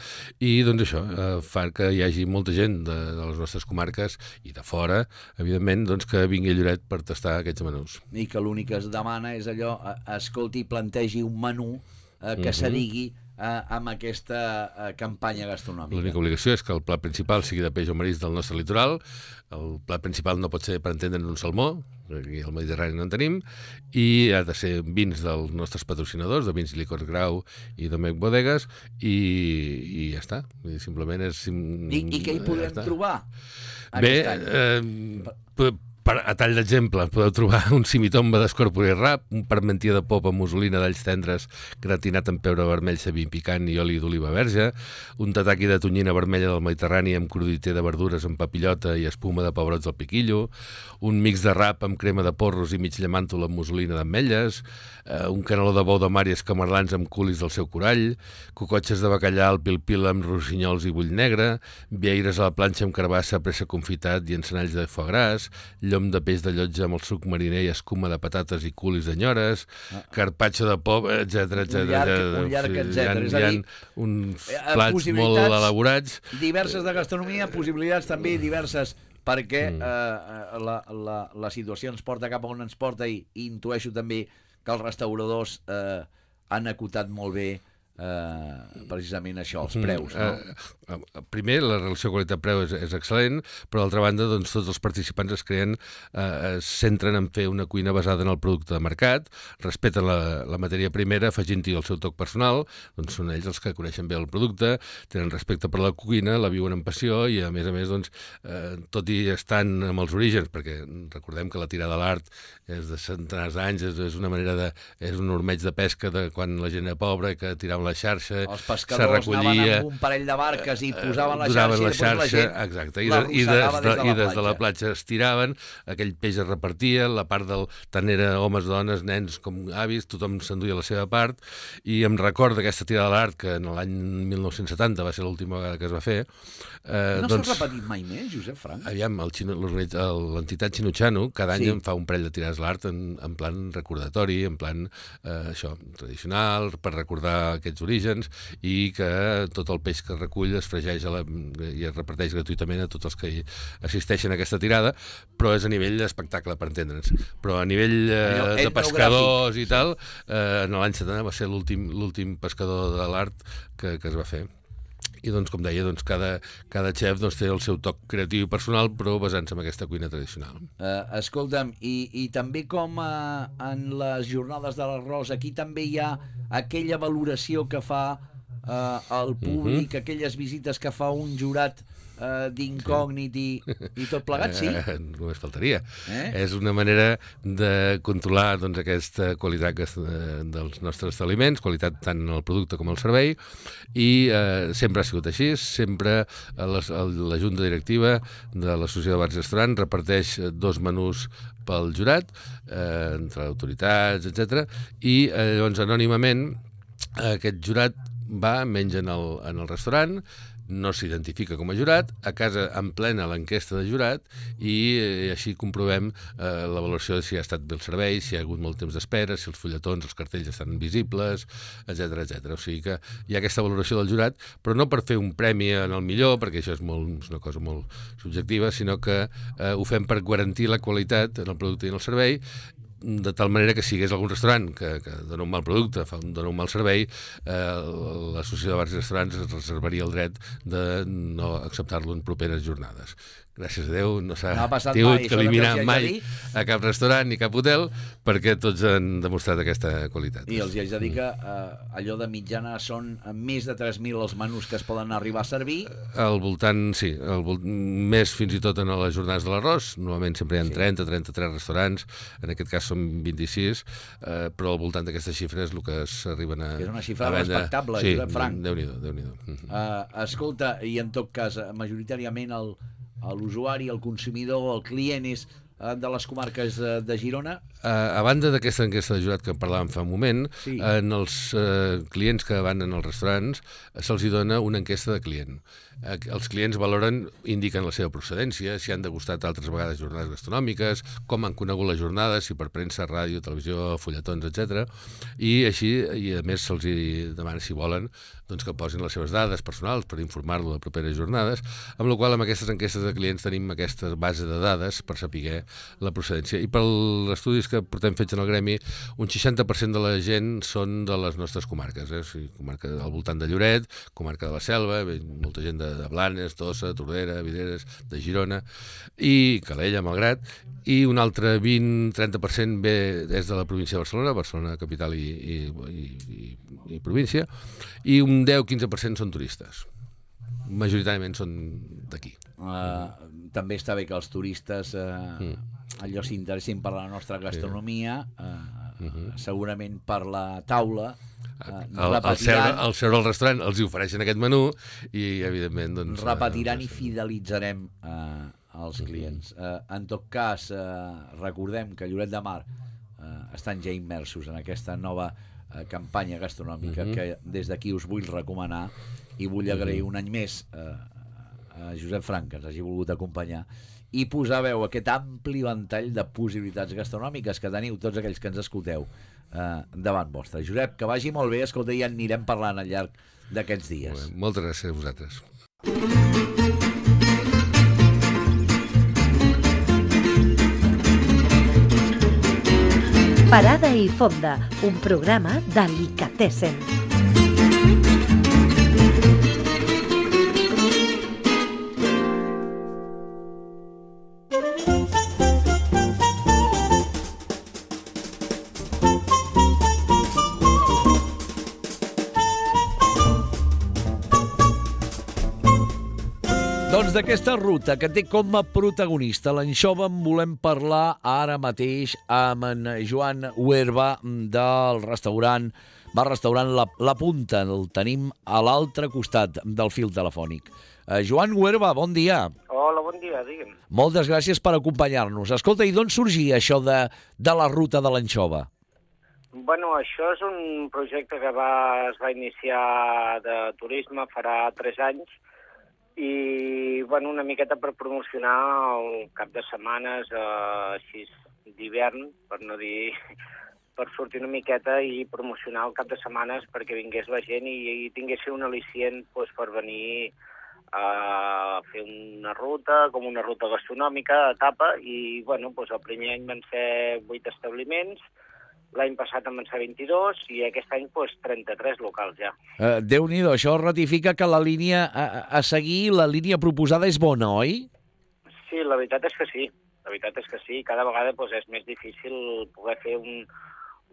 i doncs això eh, fa que hi hagi molta gent de, de les nostres comarques i de fora, evidentment, doncs que vingui a Lloret per tastar aquests menús. I que l'únic que es demana és allò, eh, escolti, plantegi un menú eh, que Mhm. s'adigui eh, amb aquesta eh, campanya gastronòmica. L'única obligació és que el plat principal sigui de peix o marisc del nostre litoral. El plat principal no pot ser, per entendre'n, un salmó, aquí al Mediterrani no en tenim, i ha de ser vins dels nostres patrocinadors, de Vins i Licors Grau i Domecq Bodegues, i, i ja està. I simplement és... I, I què hi podem ja trobar Bé, aquest any? eh, per, per, a tall d'exemple, podeu trobar un simitomba d'escorpor i rap, un parmentier de pop amb mussolina d'alls tendres gratinat amb pebre vermell, cebin picant i oli d'oliva verge, un tataki de tonyina vermella del Mediterrani amb cruditer de verdures amb papillota i espuma de pebrots al piquillo, un mix de rap amb crema de porros i mig llamàntol amb mussolina d'ametlles, eh, un caneló de bou de mar i escamarlans amb culis del seu corall, cocotxes de bacallà al pil-pil amb rossinyols i bull negre, vieires a la planxa amb carbassa, pressa confitat i encenalls de foie gras, llom de peix de llotja amb el suc mariner i escuma de patates i culis d'enyores, ah. carpaccio de pop, etcètera, etcètera. Un llarg, un llarg etcètera. És a dir, uns plats molt elaborats. Diverses de gastronomia, possibilitats també diverses, perquè mm. eh, la, la, la situació ens porta cap a on ens porta i, i intueixo també que els restauradors eh, han acotat molt bé eh, precisament això, els preus, no? Uh, uh, primer, la relació qualitat-preu és, és excel·lent, però d'altra banda, doncs, tots els participants es creen, uh, es centren en fer una cuina basada en el producte de mercat, respecten la, la matèria primera, afegint-hi el seu toc personal, doncs són ells els que coneixen bé el producte, tenen respecte per la cuina, la viuen amb passió i, a més a més, doncs, uh, tot i estan amb els orígens, perquè recordem que la tirada a l'art és de centenars d'anys, és, és una manera de... és un ormeig de pesca de quan la gent era pobra, que tiraven la xarxa, els pescadors anaven amb un parell de barques i posaven la xarxa, la i xarxa, la gent exacte, i, de, i, des, de, des de i des de la platja es tiraven, aquell peix es repartia, la part del... tant era homes, dones, nens com avis, tothom s'enduia la seva part, i em recordo d'aquesta tirada a l'art, que en l'any mil nou-cents setanta va ser l'última vegada que es va fer. Eh, no doncs, s'ha repetit mai més, Josep Frank? Aviam, l'entitat Xinutxano cada any sí. en fa un parell de tirades a l'art en, en plan recordatori, en plan eh, això, tradicional, per recordar aquests orígens, i que tot el peix que recull es fregeix a la, i es reparteix gratuïtament a tots els que hi assisteixen a aquesta tirada, però és a nivell d'espectacle, per entendre'ns. Però a nivell eh, de pescadors i tal, eh, en l'any setanta va ser l'últim l'últim pescador de l'art que, que es va fer. I, doncs, com deia, doncs, cada, cada xef doncs, té el seu toc creatiu i personal, però basant-se en aquesta cuina tradicional. Uh, escolta'm, i, i també com uh, en les jornades de l'arròs, aquí també hi ha aquella valoració que fa uh, el públic, uh-huh. aquelles visites que fa un jurat uh, d'incògnit i, i tot plegat, sí? Eh, només faltaria. Eh? És una manera de controlar doncs, aquesta qualitat que, eh, dels nostres aliments, qualitat tant en el producte com el servei, i eh, sempre ha sigut així, sempre les, la Junta Directiva de l'Associació de Bars i Restaurants reparteix dos menús pel jurat, eh, entre autoritats, etcètera, i eh, llavors anònimament aquest jurat va, menja en el, en el restaurant, no s'identifica com a jurat, a casa emplena l'enquesta de jurat i eh, així comprovem eh, la valoració de si ha estat bé el servei, si hi ha hagut molt temps d'espera, si els fulletons, els cartells estan visibles, etcètera, etcètera. O sigui que hi ha aquesta valoració del jurat, però no per fer un premi en el millor, perquè això és, molt, és una cosa molt subjectiva, sinó que eh, ho fem per garantir la qualitat en el producte i en el servei, de tal manera que si hi hagués algun restaurant que, que dona un mal producte, fa un, dona un mal servei, eh, l'Associació de Bars i Restaurants es reservaria el dret de no acceptar-lo en properes jornades. Gràcies a Déu no s'ha no tingut que eliminar mai a cap restaurant ni cap hotel, perquè tots han demostrat aquesta qualitat. I els hi haig de dir que eh, allò de mitjana són més de tres mil els menús que es poden arribar a servir. Al voltant, sí, al vol... més fins i tot en les jornades de l'arròs. Normalment sempre hi ha trenta, trenta-tres restaurants, en aquest cas són vint-i-sis, eh, però al voltant d'aquestes xifres el que s'arriben a... És una xifra respectable, sí, Josep Frank. Déu-n'hi-do, Déu-n'hi-do. Uh, escolta, i en tot cas, majoritàriament el, l'usuari, el consumidor, el client és de les comarques de Girona? A banda d'aquesta enquesta de jurat que parlàvem fa un moment, sí. en els eh, clients que van en els restaurants se'ls dona una enquesta de client. Eh, els clients valoren, indiquen la seva procedència, si han degustat altres vegades jornades gastronòmiques, com han conegut les jornades, si per premsa, ràdio, televisió, fulletons, etcètera. I així, i a més se'ls demana si volen doncs, que posin les seves dades personals per informar-lo de properes jornades, amb la qual amb aquestes enquestes de clients tenim aquesta base de dades per saber la procedència. I pels estudis que portem fets en el gremi, un seixanta per cent de la gent són de les nostres comarques, eh? O sigui, comarca al voltant de Lloret, comarca de la Selva, molta gent de, de Blanes, Tossa, Tordera, Videres, de Girona, i Calella, Malgrat, i un altre vint a trenta per cent ve des de la província de Barcelona, Barcelona capital i, i, i, i, i província, i un deu a quinze per cent són turistes. Majoritàriament són d'aquí. Uh, també està bé que els turistes uh, mm. allò s'interessin per la nostra gastronomia, uh, uh -huh. segurament per la taula. Uh, el, el, seure, el seure al restaurant els hi ofereixen aquest menú i, evidentment, doncs... Repetiran uh, i fidelitzarem uh, els clients. Uh, en tot cas, uh, recordem que Lloret de Mar uh, estan ja immersos en aquesta nova uh, campanya gastronòmica uh-huh. que des d'aquí us vull recomanar i vull agrair uh-huh. un any més uh, a Josep Frank, que ens hagi volgut acompanyar i posar veu a aquest ampli ventall de possibilitats gastronòmiques que teniu tots aquells que ens escolteu eh, davant vostre. Josep, que vagi molt bé, escolta, i ja anirem parlant al llarg d'aquests dies. Bé, moltes gràcies a vosaltres. Parada i Fonda, un programa d'Alicatessen. Doncs d'aquesta ruta que té com a protagonista l'anxova en volem parlar ara mateix amb en Joan Huerva del restaurant, bar restaurant La, La Punta. El tenim a l'altre costat del fil telefònic. Eh, Joan Huerva, bon dia. Hola, bon dia, digue'm. Moltes gràcies per acompanyar-nos. Escolta, i d'on sorgia això de, de la ruta de l'anxova? Bueno, això és un projecte que va, es va iniciar de turisme farà tres anys i, bueno, una miqueta per promocionar el cap de setmanes eh, així d'hivern, per no dir, per sortir una miqueta i promocionar el cap de setmanes perquè vingués la gent i, i tingués un al·licient pues, per venir a fer una ruta, com una ruta gastronòmica, etapa, i, bueno, pues, el primer any van ser vuit establiments, l'any passat en van ser vint-i-dos i aquest any pues, trenta-tres locals ja. Uh, Déu-n'hi-do, això ratifica que la línia a, a seguir, la línia proposada és bona, oi? Sí, la veritat és que sí. La veritat és que sí. Cada vegada pues, és més difícil poder fer un,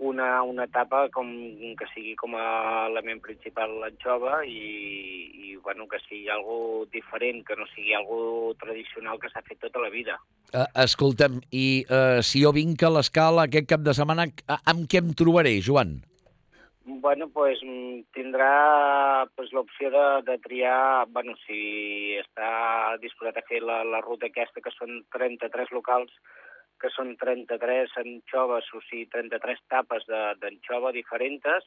una, una etapa com, que sigui com a element principal l'anxova i, i bueno, que sigui algo diferent, que no sigui algo tradicional que s'ha fet tota la vida. Uh, escolta'm, i uh, si jo vinc a l'Escala aquest cap de setmana, amb què em trobaré, Joan? Bueno, pues tindrà pues, l'opció de, de triar, bueno, si està disposat a fer la, la ruta aquesta, que són trenta-tres locals, que són trenta-tres anxoves, o sigui, trenta-tres tapes d'anxova diferents,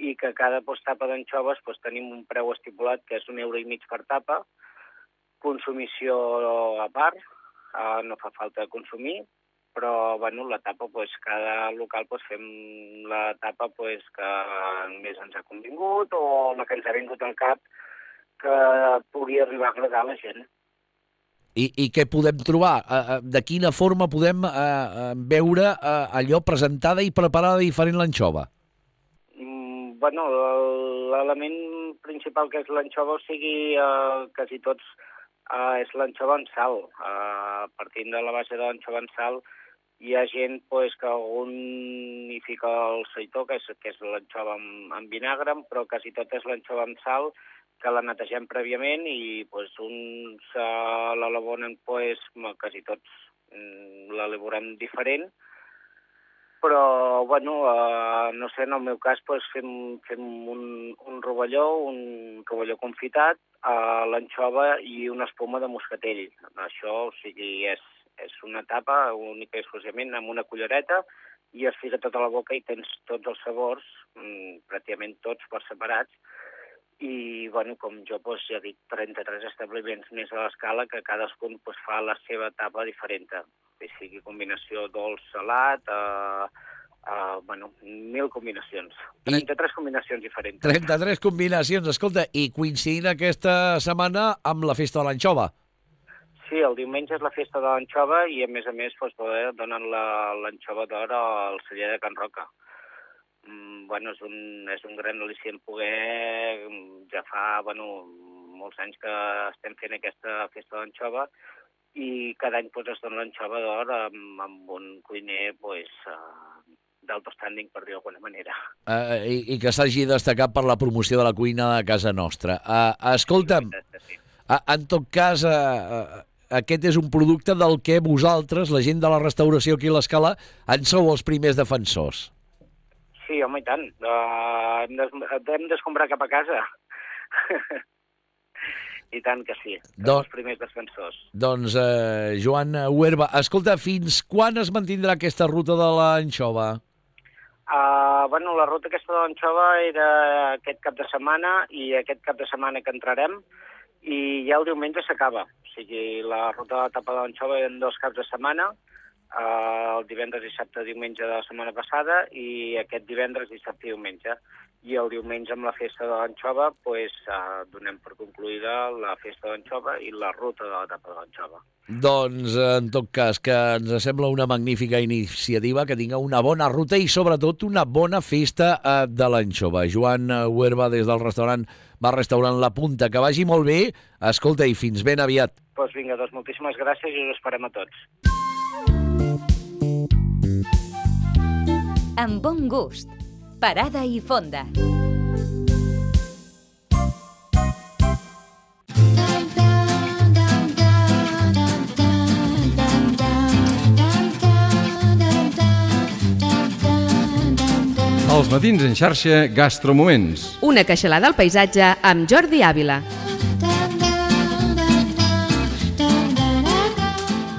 i que cada pues, tapa d'anxoves pues, tenim un preu estipulat que és un euro i mig per tapa, consumició a part, uh, no fa falta consumir, però bueno, la tapa, pues, cada local pues, fem la tapa pues, que més ens ha convingut o la que ens ha vingut al cap que pugui arribar a agradar a la gent. I, i què podem trobar? Uh, de quina forma podem uh, uh, veure uh, allò presentada i preparada diferent l'anxova? Mm, bueno, l'element principal que és l'anxova, o sigui, uh, quasi tots, uh, és l'anxova en sal. Uh, partint de la base de l'anxova en sal, hi ha gent pues, que algun hi fica el seitó, que és, que és l'anxova amb, amb vinagre, però quasi tot és l'anxova amb sal, que la netegem prèviament i pues, uns uh, l'elaboren, pues, quasi tots mm, l'elaborem diferent, però, bueno, uh, no sé, en el meu cas pues, fem, fem un, un rovelló, un rovelló confitat, uh, l'anxova i una espuma de moscatell. Això, o sigui, és, És una tapa única i exclusivament amb una cullereta i es fica tota la boca i tens tots els sabors, mmm, pràcticament tots per separats. I, bueno, com jo, doncs, ja dic, trenta-tres establiments més a l'escala que cadascun doncs, fa la seva tapa diferent. Que sigui combinació dolç-salat, eh, eh, bueno, mil combinacions. trenta-tres I... combinacions diferents. trenta-tres combinacions, escolta, i coincidint aquesta setmana amb la festa de l'anxova. Sí, el diumenge és la festa de l'anxova i, a més a més, doncs, donen l'anxova d'or al celler de Can Roca. Mm, bueno, és un, és un gran al·licient poder, ja fa, bueno, molts anys que estem fent aquesta festa de l'anxova i cada any doncs, es dona l'anxova d'or amb, amb un cuiner pues, uh, d'alto standing, per dir d'alguna manera. Uh, i, I que s'hagi destacat per la promoció de la cuina de casa nostra. Uh, escolta'm, sí, uh, en tot cas... Uh, aquest és un producte del que vosaltres, la gent de la restauració aquí a l'Escala, en sou els primers defensors. Sí, home, i tant. Uh, hem, des, hem d'escombrar cap a casa. I tant que sí, Don... els primers defensors. Doncs, eh, Joan Huerva, escolta, fins quan es mantindrà aquesta ruta de l'anxova? Uh, bueno, la ruta aquesta de l'anxova era aquest cap de setmana i aquest cap de setmana que entrarem i ja el diumenge s'acaba. O sigui, la ruta de la tapa de l'anxova eren dos caps de setmana, uh, el divendres, dissabte, diumenge de la setmana passada i aquest divendres, dissabte i diumenge. I el diumenge amb la festa de l'anxova pues, uh, donem per concluïda la festa de l'anxova i la ruta de la tapa de l'anxova. Doncs, en tot cas, que ens sembla una magnífica iniciativa, que tinga una bona ruta i, sobretot, una bona festa uh, de l'anxova. Joan Huerva, des del restaurant Bar Restaurant La Punta. Que vagi molt bé. Escolta, i fins ben aviat. Doncs pues vinga, doncs moltíssimes gràcies i us esperem a tots. Amb bon gust. Parada i fonda. Els matins en xarxa Gastromoments. Una queixalada al paisatge amb Jordi Ávila.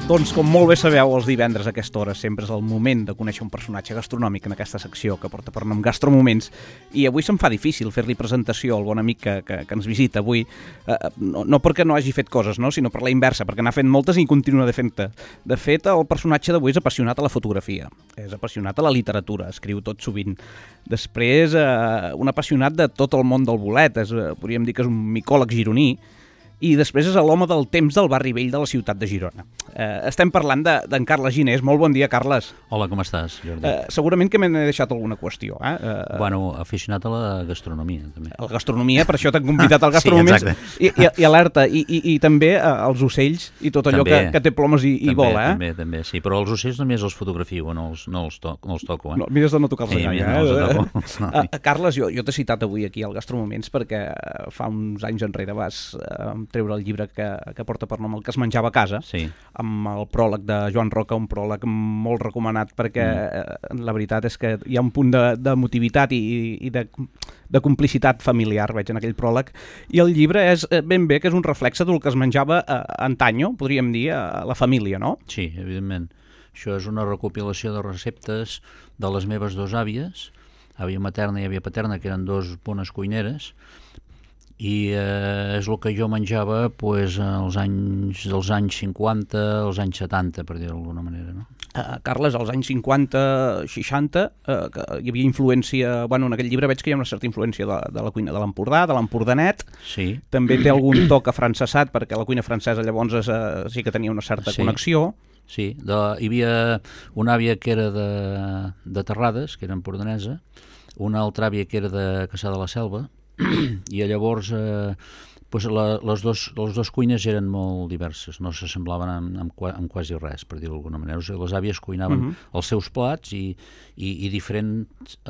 Doncs, com molt bé sabeu, els divendres a aquesta hora sempre és el moment de conèixer un personatge gastronòmic en aquesta secció que porta per nom Gastromoments, i avui se'm fa difícil fer-li presentació al bon amic que, que, que ens visita avui, eh, no, no perquè no hagi fet coses, no? Sinó per la inversa, perquè n'ha fet moltes i continua de fent-te. De fet, el personatge d'avui és apassionat a la fotografia, és apassionat a la literatura, escriu tot sovint. Després, eh, un apassionat de tot el món del bolet, és, eh, podríem dir que és un micòleg gironí, i després és l'home del temps del barri vell de la ciutat de Girona. Eh, estem parlant d'en de, Carles Ginés. Molt bon dia, Carles. Hola, com estàs, Jordi? Eh, segurament que m'he deixat alguna qüestió. Eh? Eh, bueno, aficionat a la gastronomia, també. A la gastronomia, per això t'han convidat al Gastromoments. Sí, I, i, i alerta, i, i, i també eh, els ocells i tot allò que, que té plomes i, també, i vola. Eh? També, també, sí, però els ocells només els fotografio, no els, no els, to, no els toco. Eh? No, mires de no tocar-los sí, gaire. No eh? els toco. uh, Carles, jo, jo t'he citat avui aquí al Gastromoments perquè fa uns anys enrere vas uh, treure el llibre que que porta per nom El que es menjava a casa, sí. Amb el pròleg de Joan Roca, un pròleg molt recomanat perquè mm. la veritat és que hi ha un punt de, de motivitat i, i de, de complicitat familiar, veig en aquell pròleg, i el llibre és ben bé que és un reflexe del que es menjava a, a antanyo, podríem dir, a la família, no? Sí, evidentment. Això és una recopilació de receptes de les meves dues àvies, àvia materna i àvia paterna, que eren dos bones cuineres, i eh, és el que jo menjava pues, als anys, dels anys cinquanta, als anys setanta, per dir-ho d'alguna manera, no? Uh, Carles, als anys cinquanta, seixanta, uh, que hi havia influència... Bueno, en aquell llibre veig que hi ha una certa influència de, de la cuina de l'Empordà, de l'Empordanet. Sí. També té algun toc afrancesat, perquè la cuina francesa llavors uh, sí que tenia una certa sí. connexió. Sí, de, hi havia una àvia que era de, de Terrades, que era empordanesa, una altra àvia que era de Caçà de la Selva, i llavors eh, pues la, les, dos, les dos cuines eren molt diverses, no s'assemblaven en, en, en quasi res, per dir-ho d'alguna manera. O sigui, les àvies cuinaven uh-huh. els seus plats i, i, i diferent,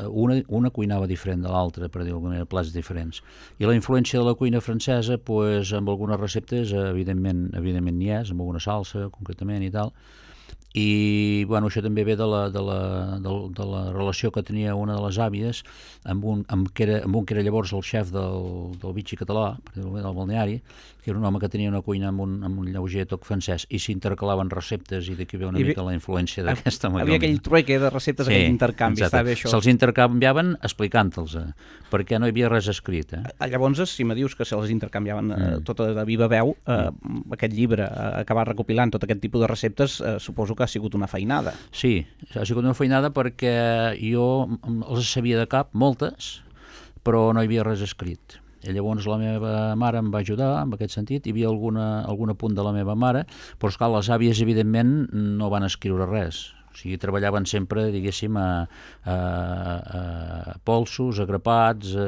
una, una cuinava diferent de l'altra, per dir-ho d'alguna manera, plats diferents. I la influència de la cuina francesa, pues, amb algunes receptes, evidentment, evidentment n'hi és, amb alguna salsa, concretament, i tal. i bueno, això també ve de la, de la, de, de la relació que tenia una de les àvies amb un, amb que era, amb un que era llavors el xef del, del Vichy català, del balneari, que era un home que tenia una cuina amb un, amb un lleuger toc francès, i s'intercalaven receptes, i d'aquí ve una mica la influència d'aquesta manera. Havia aquell trueque de receptes, sí, aquell intercanvi, està bé això. Se'ls intercanviaven explicant-los, eh, perquè no hi havia res escrit. Eh? Llavors, si me dius que se'ls intercanviaven eh, mm. tota de viva veu, eh, mm. aquest llibre, eh, acabar recopilant tot aquest tipus de receptes, eh, suposo que ha sigut una feinada. Sí, ha sigut una feinada perquè jo els sabia de cap, moltes, però no hi havia res escrit. I llavors la meva mare em va ajudar en aquest sentit, hi havia alguna, algun apunt de la meva mare, però esclar, les àvies evidentment no van escriure res. O sigui, treballaven sempre, diguéssim, a, a, a polsos, a grapats, a,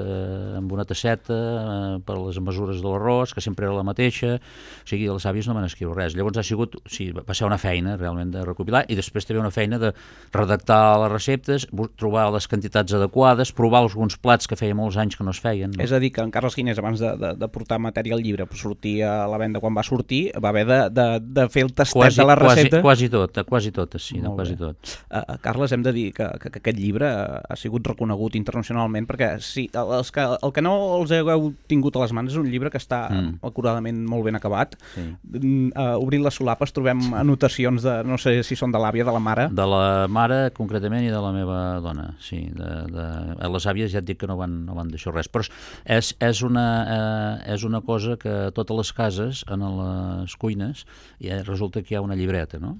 amb una tasseta, a, per les mesures de l'arròs, que sempre era la mateixa. O sigui, les àvies no van escriure res. Llavors ha sigut, sí, va ser una feina realment de recopilar, i després també una feina de redactar les receptes, trobar les quantitats adequades, provar alguns plats que feia molts anys que no es feien. No? És a dir, que en Carles Ginés, abans de, de, de portar matèria al llibre, per sortir a la venda quan va sortir, va haver de, de, de fer el tastet quasi, de la recepta. Quasi, quasi tot, quasi totes, sí, no, quasi tot. Uh, Carles, hem de dir que, que, que aquest llibre ha sigut reconegut internacionalment, perquè sí, els que, el que no els heu tingut a les mans és un llibre que està mm. acuradament molt ben acabat. Sí. Uh, obrint les solapes trobem anotacions de, no sé si són de l'àvia, de la mare. De la mare, concretament, i de la meva dona, sí. De, de... Les àvies ja et dic que no van, no van deixar res, però és, és, una, eh, és una cosa que a totes les cases, en les cuines, ja resulta que hi ha una llibreta, no?,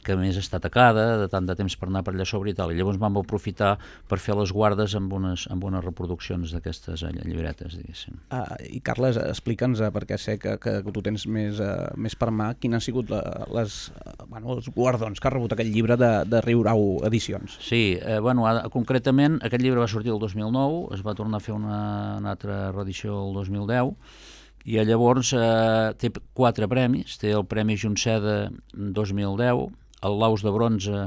que a més està tacada, de tant de temps per anar per allà sobre i tal, i llavors vam aprofitar per fer les guardes amb unes, amb unes reproduccions d'aquestes llibretes, diguéssim. Uh, I Carles, explica'ns, uh, perquè sé que, que tu tens més, uh, més per mà, quins han sigut la, les, uh, bueno, els guardons que ha rebut aquest llibre de, de Riurau Edicions. Sí, eh, bueno, concretament aquest llibre va sortir el dos mil nou, es va tornar a fer una, una altra reedició el dos mil deu, i llavors eh, té quatre premis, té el Premi Junceda dos mil deu, el Laus de Bronze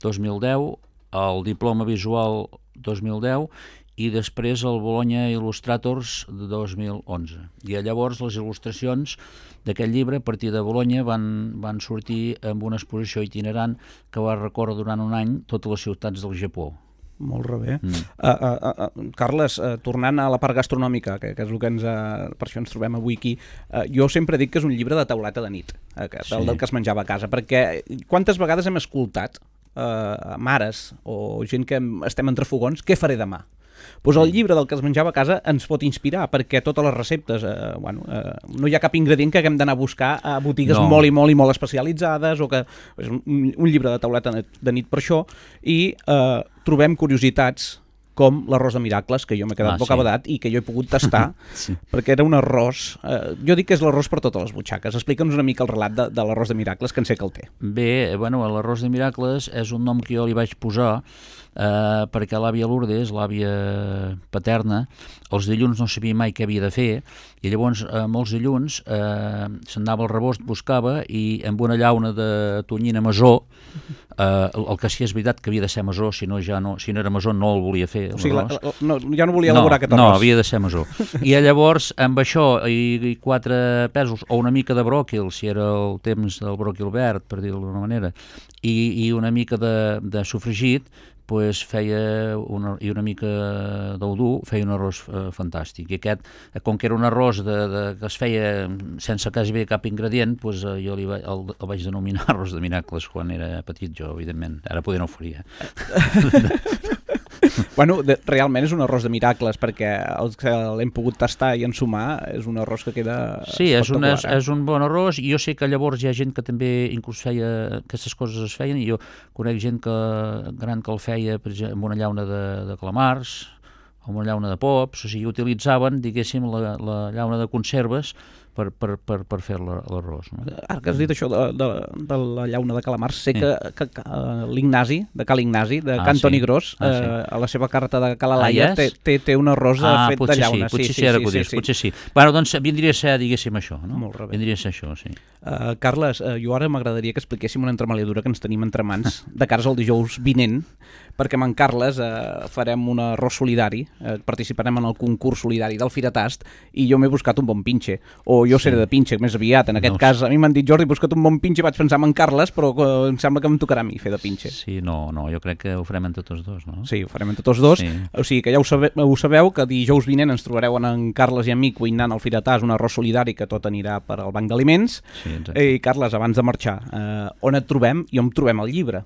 dos mil deu, el Diploma Visual dos mil deu i després el Bologna Illustrators de dos mil onze. I llavors les il·lustracions d'aquest llibre a partir de Bologna van, van sortir amb una exposició itinerant que va recórrer durant un any totes les ciutats del Japó. Molt bé. Mm. Uh, uh, uh, Carles, uh, tornant a la part gastronòmica, que, que és el que ens, uh, per això ens trobem avui aquí, uh, jo sempre dic que és un llibre de tauleta de nit, uh, que, sí. del, del que es menjava a casa, perquè quantes vegades hem escoltat uh, mares o gent que estem entre fogons, què faré demà? Pues el llibre del que es menjava a casa ens pot inspirar, perquè totes les receptes, eh, bueno, eh, no hi ha cap ingredient que haguem d'anar a buscar a botigues no. molt i molt i molt especialitzades, o que és un, un llibre de tauleta de nit per això, i eh, trobem curiositats com l'arròs de Miracles, que jo m'he quedat ah, bocabadat sí. i que jo he pogut tastar, sí. perquè era un arròs... Eh, jo dic que és l'arròs per totes les butxaques. Explica'ns una mica el relat de, de l'arròs de Miracles, que en sé que el té. Bé, bueno, l'arròs de Miracles és un nom que jo li vaig posar eh, perquè l'àvia Lourdes, l'àvia paterna, els dilluns no sabia mai què havia de fer, i llavors eh, molts dilluns eh, s'anava al rebost, buscava, i amb una llauna de tonyina masó, eh, el, el que sí és veritat que havia de ser masó, si no, ja no, si no era masó no el volia fer. O sigui, la, la, no, ja no volia elaborar no, aquest arròs. No, havia de ser masó. I llavors, amb això i, i quatre pèsols, o una mica de bròquil, si era el temps del bròquil verd, per dir-ho d'alguna manera, i, i una mica de, de sofregit, pues feia una, i una mica d'udú, feia un arròs eh, fantàstic. I aquest, com que era un arròs de, de, que es feia sense quasi bé cap ingredient, pues, eh, jo li va, el, el vaig denominar arròs de Miracles quan era petit jo, evidentment. Ara poder no ho faria. Bueno, de, realment és un arròs de miracles, perquè els que l'hem pogut tastar i ensumar és un arròs que queda sí, és un, és, és un bon arròs, i jo sé que llavors hi ha gent que també inclús feia, aquestes coses es feien, i jo conec gent que, gran que el feia, per exemple, amb una llauna de, de calamars, amb una llauna de pops, o sigui, utilitzaven, diguéssim, la, la llauna de conserves per, per, per, per fer l'arròs. No? Ara que has dit això de, de, de la llauna de calamars, sé sí. que, que, que l'Ignasi, de Cal Ignasi, de ah, Can Toni sí. Gros, ah, sí. eh, a la seva carta de Calalaia, ah, yes? té, té un arròs ah, fet de llauna. Sí, potser sí, sí, sí, ara sí, que ho dius, sí, potser sí. Bueno, doncs vindria a ser, diguéssim, això, no? Molt bé. Vindria a ser això, sí. Uh, Carles, uh, jo ara m'agradaria que expliquéssim una entremaliadura que ens tenim entre mans de cares al dijous vinent, perquè amb en Carles uh, farem un arròs solidari, uh, participarem en el concurs solidari del Firatast, i jo m'he buscat un bon pinxe, o jo seré de pinxe més aviat. En aquest cas, a mi m'han dit, Jordi, busca't un bon pinxe, vaig pensar en Carles, però em sembla que em tocarà a mi fer de pinxe. Sí, no, no, jo crec que ho farem entre tots dos, no? Sí, ho farem entre tots dos. O sigui que ja ho sabeu, ho sabeu que dijous vinent ens trobareu en Carles i en mi cuinant al Firetàs un arròs solidari que tot anirà per al Banc d'Aliments. Sí, exacte. I Carles, abans de marxar, eh, on et trobem i on trobem el llibre?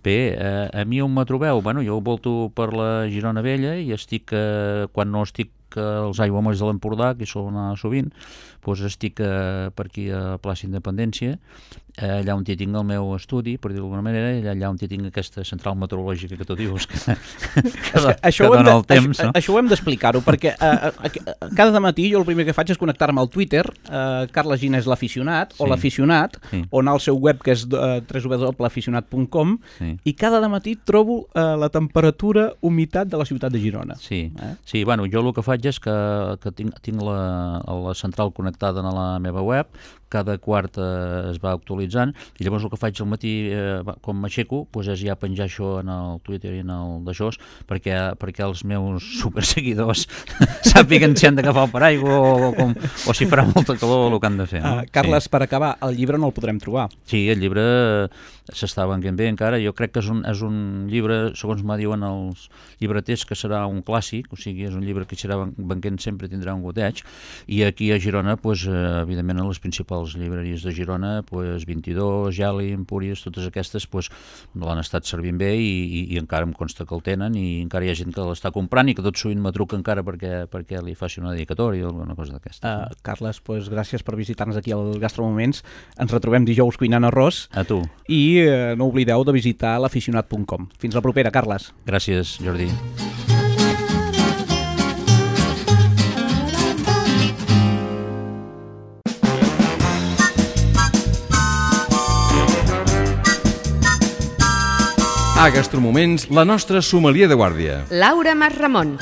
Bé, eh, a mi on me trobeu? Bueno, jo volto per la Girona Vella i estic, eh, quan no estic als aiguamolls de l'Empordà, que hi sol anar sovint, doncs estic eh, per aquí a Plaça Independència, eh, allà on hi tinc el meu estudi, per dir-ho d'alguna manera, i allà on hi tinc aquesta central meteorològica que tu dius, que, que, que, això que dona el temps. Això, no? això ho hem d'explicar-ho, perquè eh, eh, cada matí jo el primer que faig és connectar-me al Twitter, eh, Carles Gina és l'aficionat, o Sí. l'aficionat, Sí. o anar al seu web, que és eh, w w w punt aficionat punt com, Sí. i cada matí trobo eh, la temperatura, humitat de la ciutat de Girona. Sí, eh? sí, bueno, jo el que faig és que, que tinc, tinc la, la central connectada a la meva web, cada quart eh, es va actualitzant, i llavors el que faig al matí, eh, com m'aixeco, doncs és ja penjar això en el Twitter i en el d'això, perquè, perquè els meus superseguidors sàpiguen si han d'agafar el paraigua o, com, o si farà molta calor el que han de fer. No? Uh, Carles, sí. per acabar, el llibre no el podrem trobar. Sí, el llibre s'està venguent bé encara. Jo crec que és un, és un llibre, segons me diuen els llibreters, que serà un clàssic, o sigui, és un llibre que serà venguent sempre, tindrà un goteig, i aquí a Girona, doncs, evidentment, a les principals llibreries de Girona, doncs, vint-i-dos, Geli, Empúries, totes aquestes, doncs, l'han estat servint bé i, i, i encara em consta que el tenen i encara hi ha gent que l'està comprant i que tot sovint me truca encara perquè, perquè li faci una dedicatòria o alguna cosa d'aquesta. Uh, Carles, pues, gràcies per visitar-nos aquí al Gastromoments. Ens retrobem dijous cuinant arròs. A tu. I uh, no oblideu de visitar l'aficionat punt com. Fins la propera, Carles. Gràcies, Jordi. A Gastromoments, la nostra sommelier de guàrdia. Laura Masramon.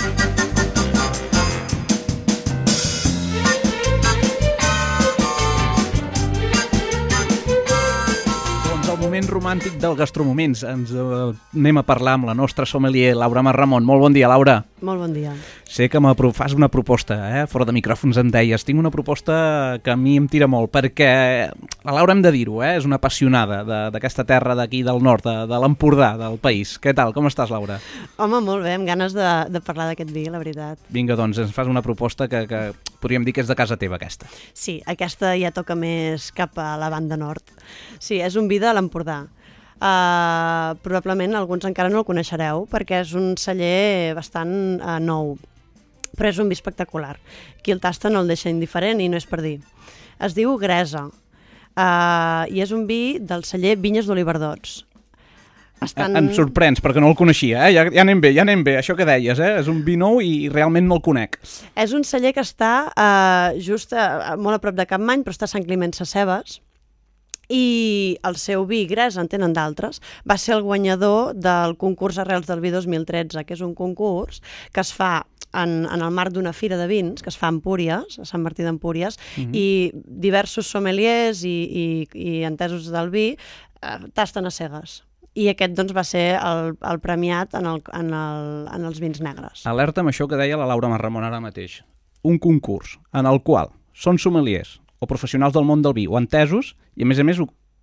Moment romàntic del Gastromoments. Ens uh, anem a parlar amb la nostra sommelier, Laura Masramon. Molt bon dia, Laura. Molt bon dia. Sé que me fas una proposta, eh? Fora de micròfons em deies. Tinc una proposta que a mi em tira molt, perquè la Laura, hem de dir-ho, eh? És una apassionada d'aquesta terra d'aquí del nord, de, de l'Empordà, del país. Què tal? Com estàs, Laura? Home, molt bé, amb ganes de, de parlar d'aquest vi, la veritat. Vinga, doncs, ens fas una proposta que, que podríem dir que és de casa teva, aquesta. Sí, aquesta ja toca més cap a la banda nord. Sí, és un vi de l'Empordà. Uh, probablement alguns encara no el coneixereu perquè és un celler bastant uh, nou, però és un vi espectacular. Qui el tasta no el deixa indiferent i no és per dir. Es diu Gresa uh, i és un vi del celler Vinyes d'Oliverdots. Estan... Em sorprens perquè no el coneixia, eh? ja, ja anem bé, ja anem bé, això que deies, eh? És un vi nou i realment no el conec. És un celler que està uh, just a, molt a prop de Capmany, però està a Sant Climent Sescebes, i el seu vi, Gresa, en tenen d'altres, va ser el guanyador del concurs Arrels del Vi dos mil tretze, que és un concurs que es fa en, en el marc d'una fira de vins, que es fa a Empúries, a Sant Martí d'Empúries, mm-hmm. i diversos sommeliers i, i, i entesos del vi eh, tasten a cegues. I aquest doncs, va ser el, el premiat en, el, en, el, en els vins negres. Alerta amb això que deia la Laura Masramon ara mateix. Un concurs en el qual són sommeliers o professionals del món del vi o entesos i a més a més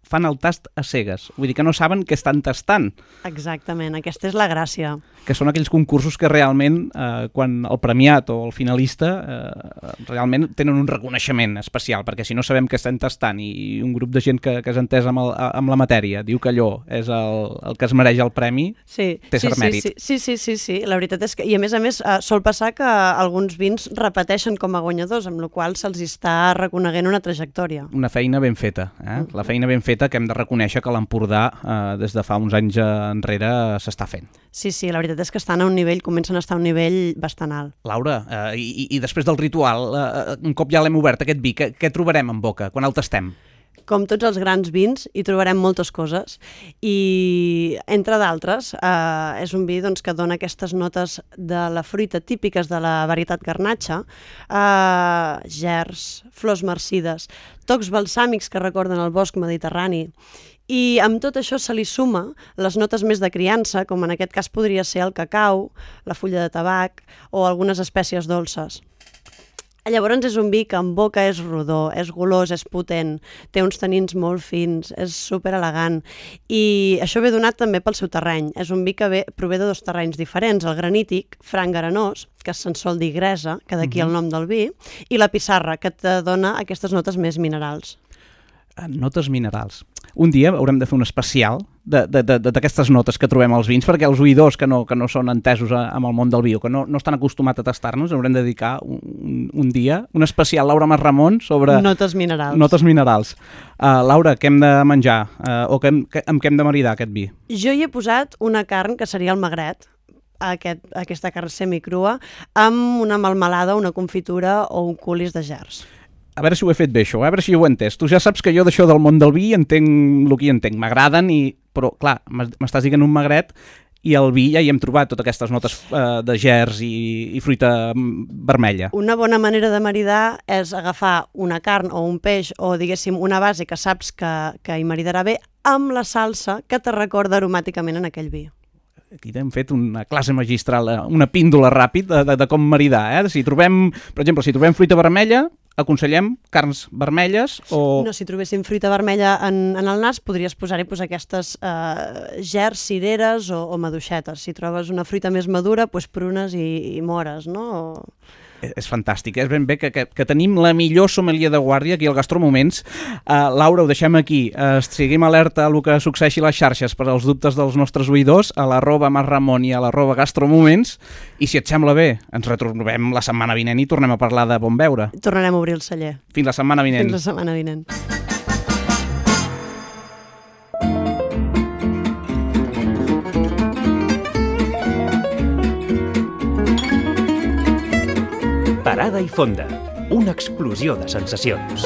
fan el tast a cegues. Vull dir que no saben què estan tastant. Exactament, aquesta és la gràcia. Que són aquells concursos que realment, eh, quan el premiat o el finalista eh, realment tenen un reconeixement especial, perquè si no sabem què estem tastant i un grup de gent que, que és entès amb, el, amb la matèria diu que allò és el, el que es mereix el premi, sí, té sí, cert mèrit. Sí, sí, sí, sí, sí, la veritat és que, i a més a més, eh, sol passar que alguns vins repeteixen com a guanyadors, amb la qual se'ls està reconeguent una trajectòria. Una feina ben feta, eh? La feina ben feta que hem de reconèixer que l'Empordà eh, des de fa uns anys enrere s'està fent. Sí, sí, la veritat és que estan a un nivell, comencen a estar a un nivell bastant alt. Laura, eh, i, i després del ritual, eh, un cop ja l'hem obert aquest vi, què, què trobarem en boca quan el tastem? Com tots els grans vins, hi trobarem moltes coses i, entre d'altres, eh, és un vi doncs, que dona aquestes notes de la fruita típiques de la varietat garnatxa, eh, gerds, flors marcides, tocs balsàmics que recorden el bosc mediterrani. I amb tot això se li suma les notes més de criança, com en aquest cas podria ser el cacau, la fulla de tabac o algunes espècies dolces. Llavors és un vi que en boca és rodó, és golós, és potent, té uns tanins molt fins, és super elegant i això ve donat també pel seu terreny. És un vi que ve, prové de dos terrenys diferents, el granític, franc arenós, que se'n sol dir gresa, que d'aquí uh-huh. el nom del vi, i la pissarra, que te dona aquestes notes més minerals. Notes minerals. Un dia haurem de fer un especial d'aquestes notes que trobem als vins, perquè els oïdors que no, que no són entesos a, amb el món del vi o que no, no estan acostumats a tastar-nos, haurem de dedicar un, un dia, un especial Laura Mas Ramon sobre... Notes minerals. Notes minerals. Uh, Laura, què hem de menjar? Uh, o què, que, amb què hem de maridar aquest vi? Jo hi he posat una carn que seria el magret, aquest, aquesta carn semicrua, amb una melmelada, una confitura o un culis de gerds. A veure si ho he fet bé, això, a veure si ho he entès. Tu ja saps que jo d'això del món del vi entenc el que hi entenc. M'agraden, i... però, clar, m'estàs dient un magret i el vi ja hi hem trobat totes aquestes notes eh, de gerds i, i fruita vermella. Una bona manera de maridar és agafar una carn o un peix o, diguéssim, una base que saps que, que hi maridarà bé amb la salsa que te recorda aromàticament en aquell vi. Aquí hem fet una classe magistral, una píndola ràpid de, de, de com maridar. Eh? Si trobem, per exemple, si trobem fruita vermella, aconsellem carns vermelles o... No, si trobéssim fruita vermella en, en el nas, podries posar-hi pues, aquestes eh, gerds, cireres o, o maduixetes. Si trobes una fruita més madura, pues, prunes i, i mores, no? O... És fantàstic, és ben bé que, que, que tenim la millor sommelier de guàrdia aquí al Gastromoments. Uh, Laura, ho deixem aquí. Uh, seguim alerta a el que succeeixi a les xarxes per als dubtes dels nostres oïdors, a l'arroba Masramon i a l'arroba Gastromoments. I si et sembla bé, ens retrobem la setmana vinent i tornem a parlar de bon beure. Tornarem a obrir el celler. Fins la setmana vinent. Fins la setmana vinent. Parada i fonda, una explosió de sensacions.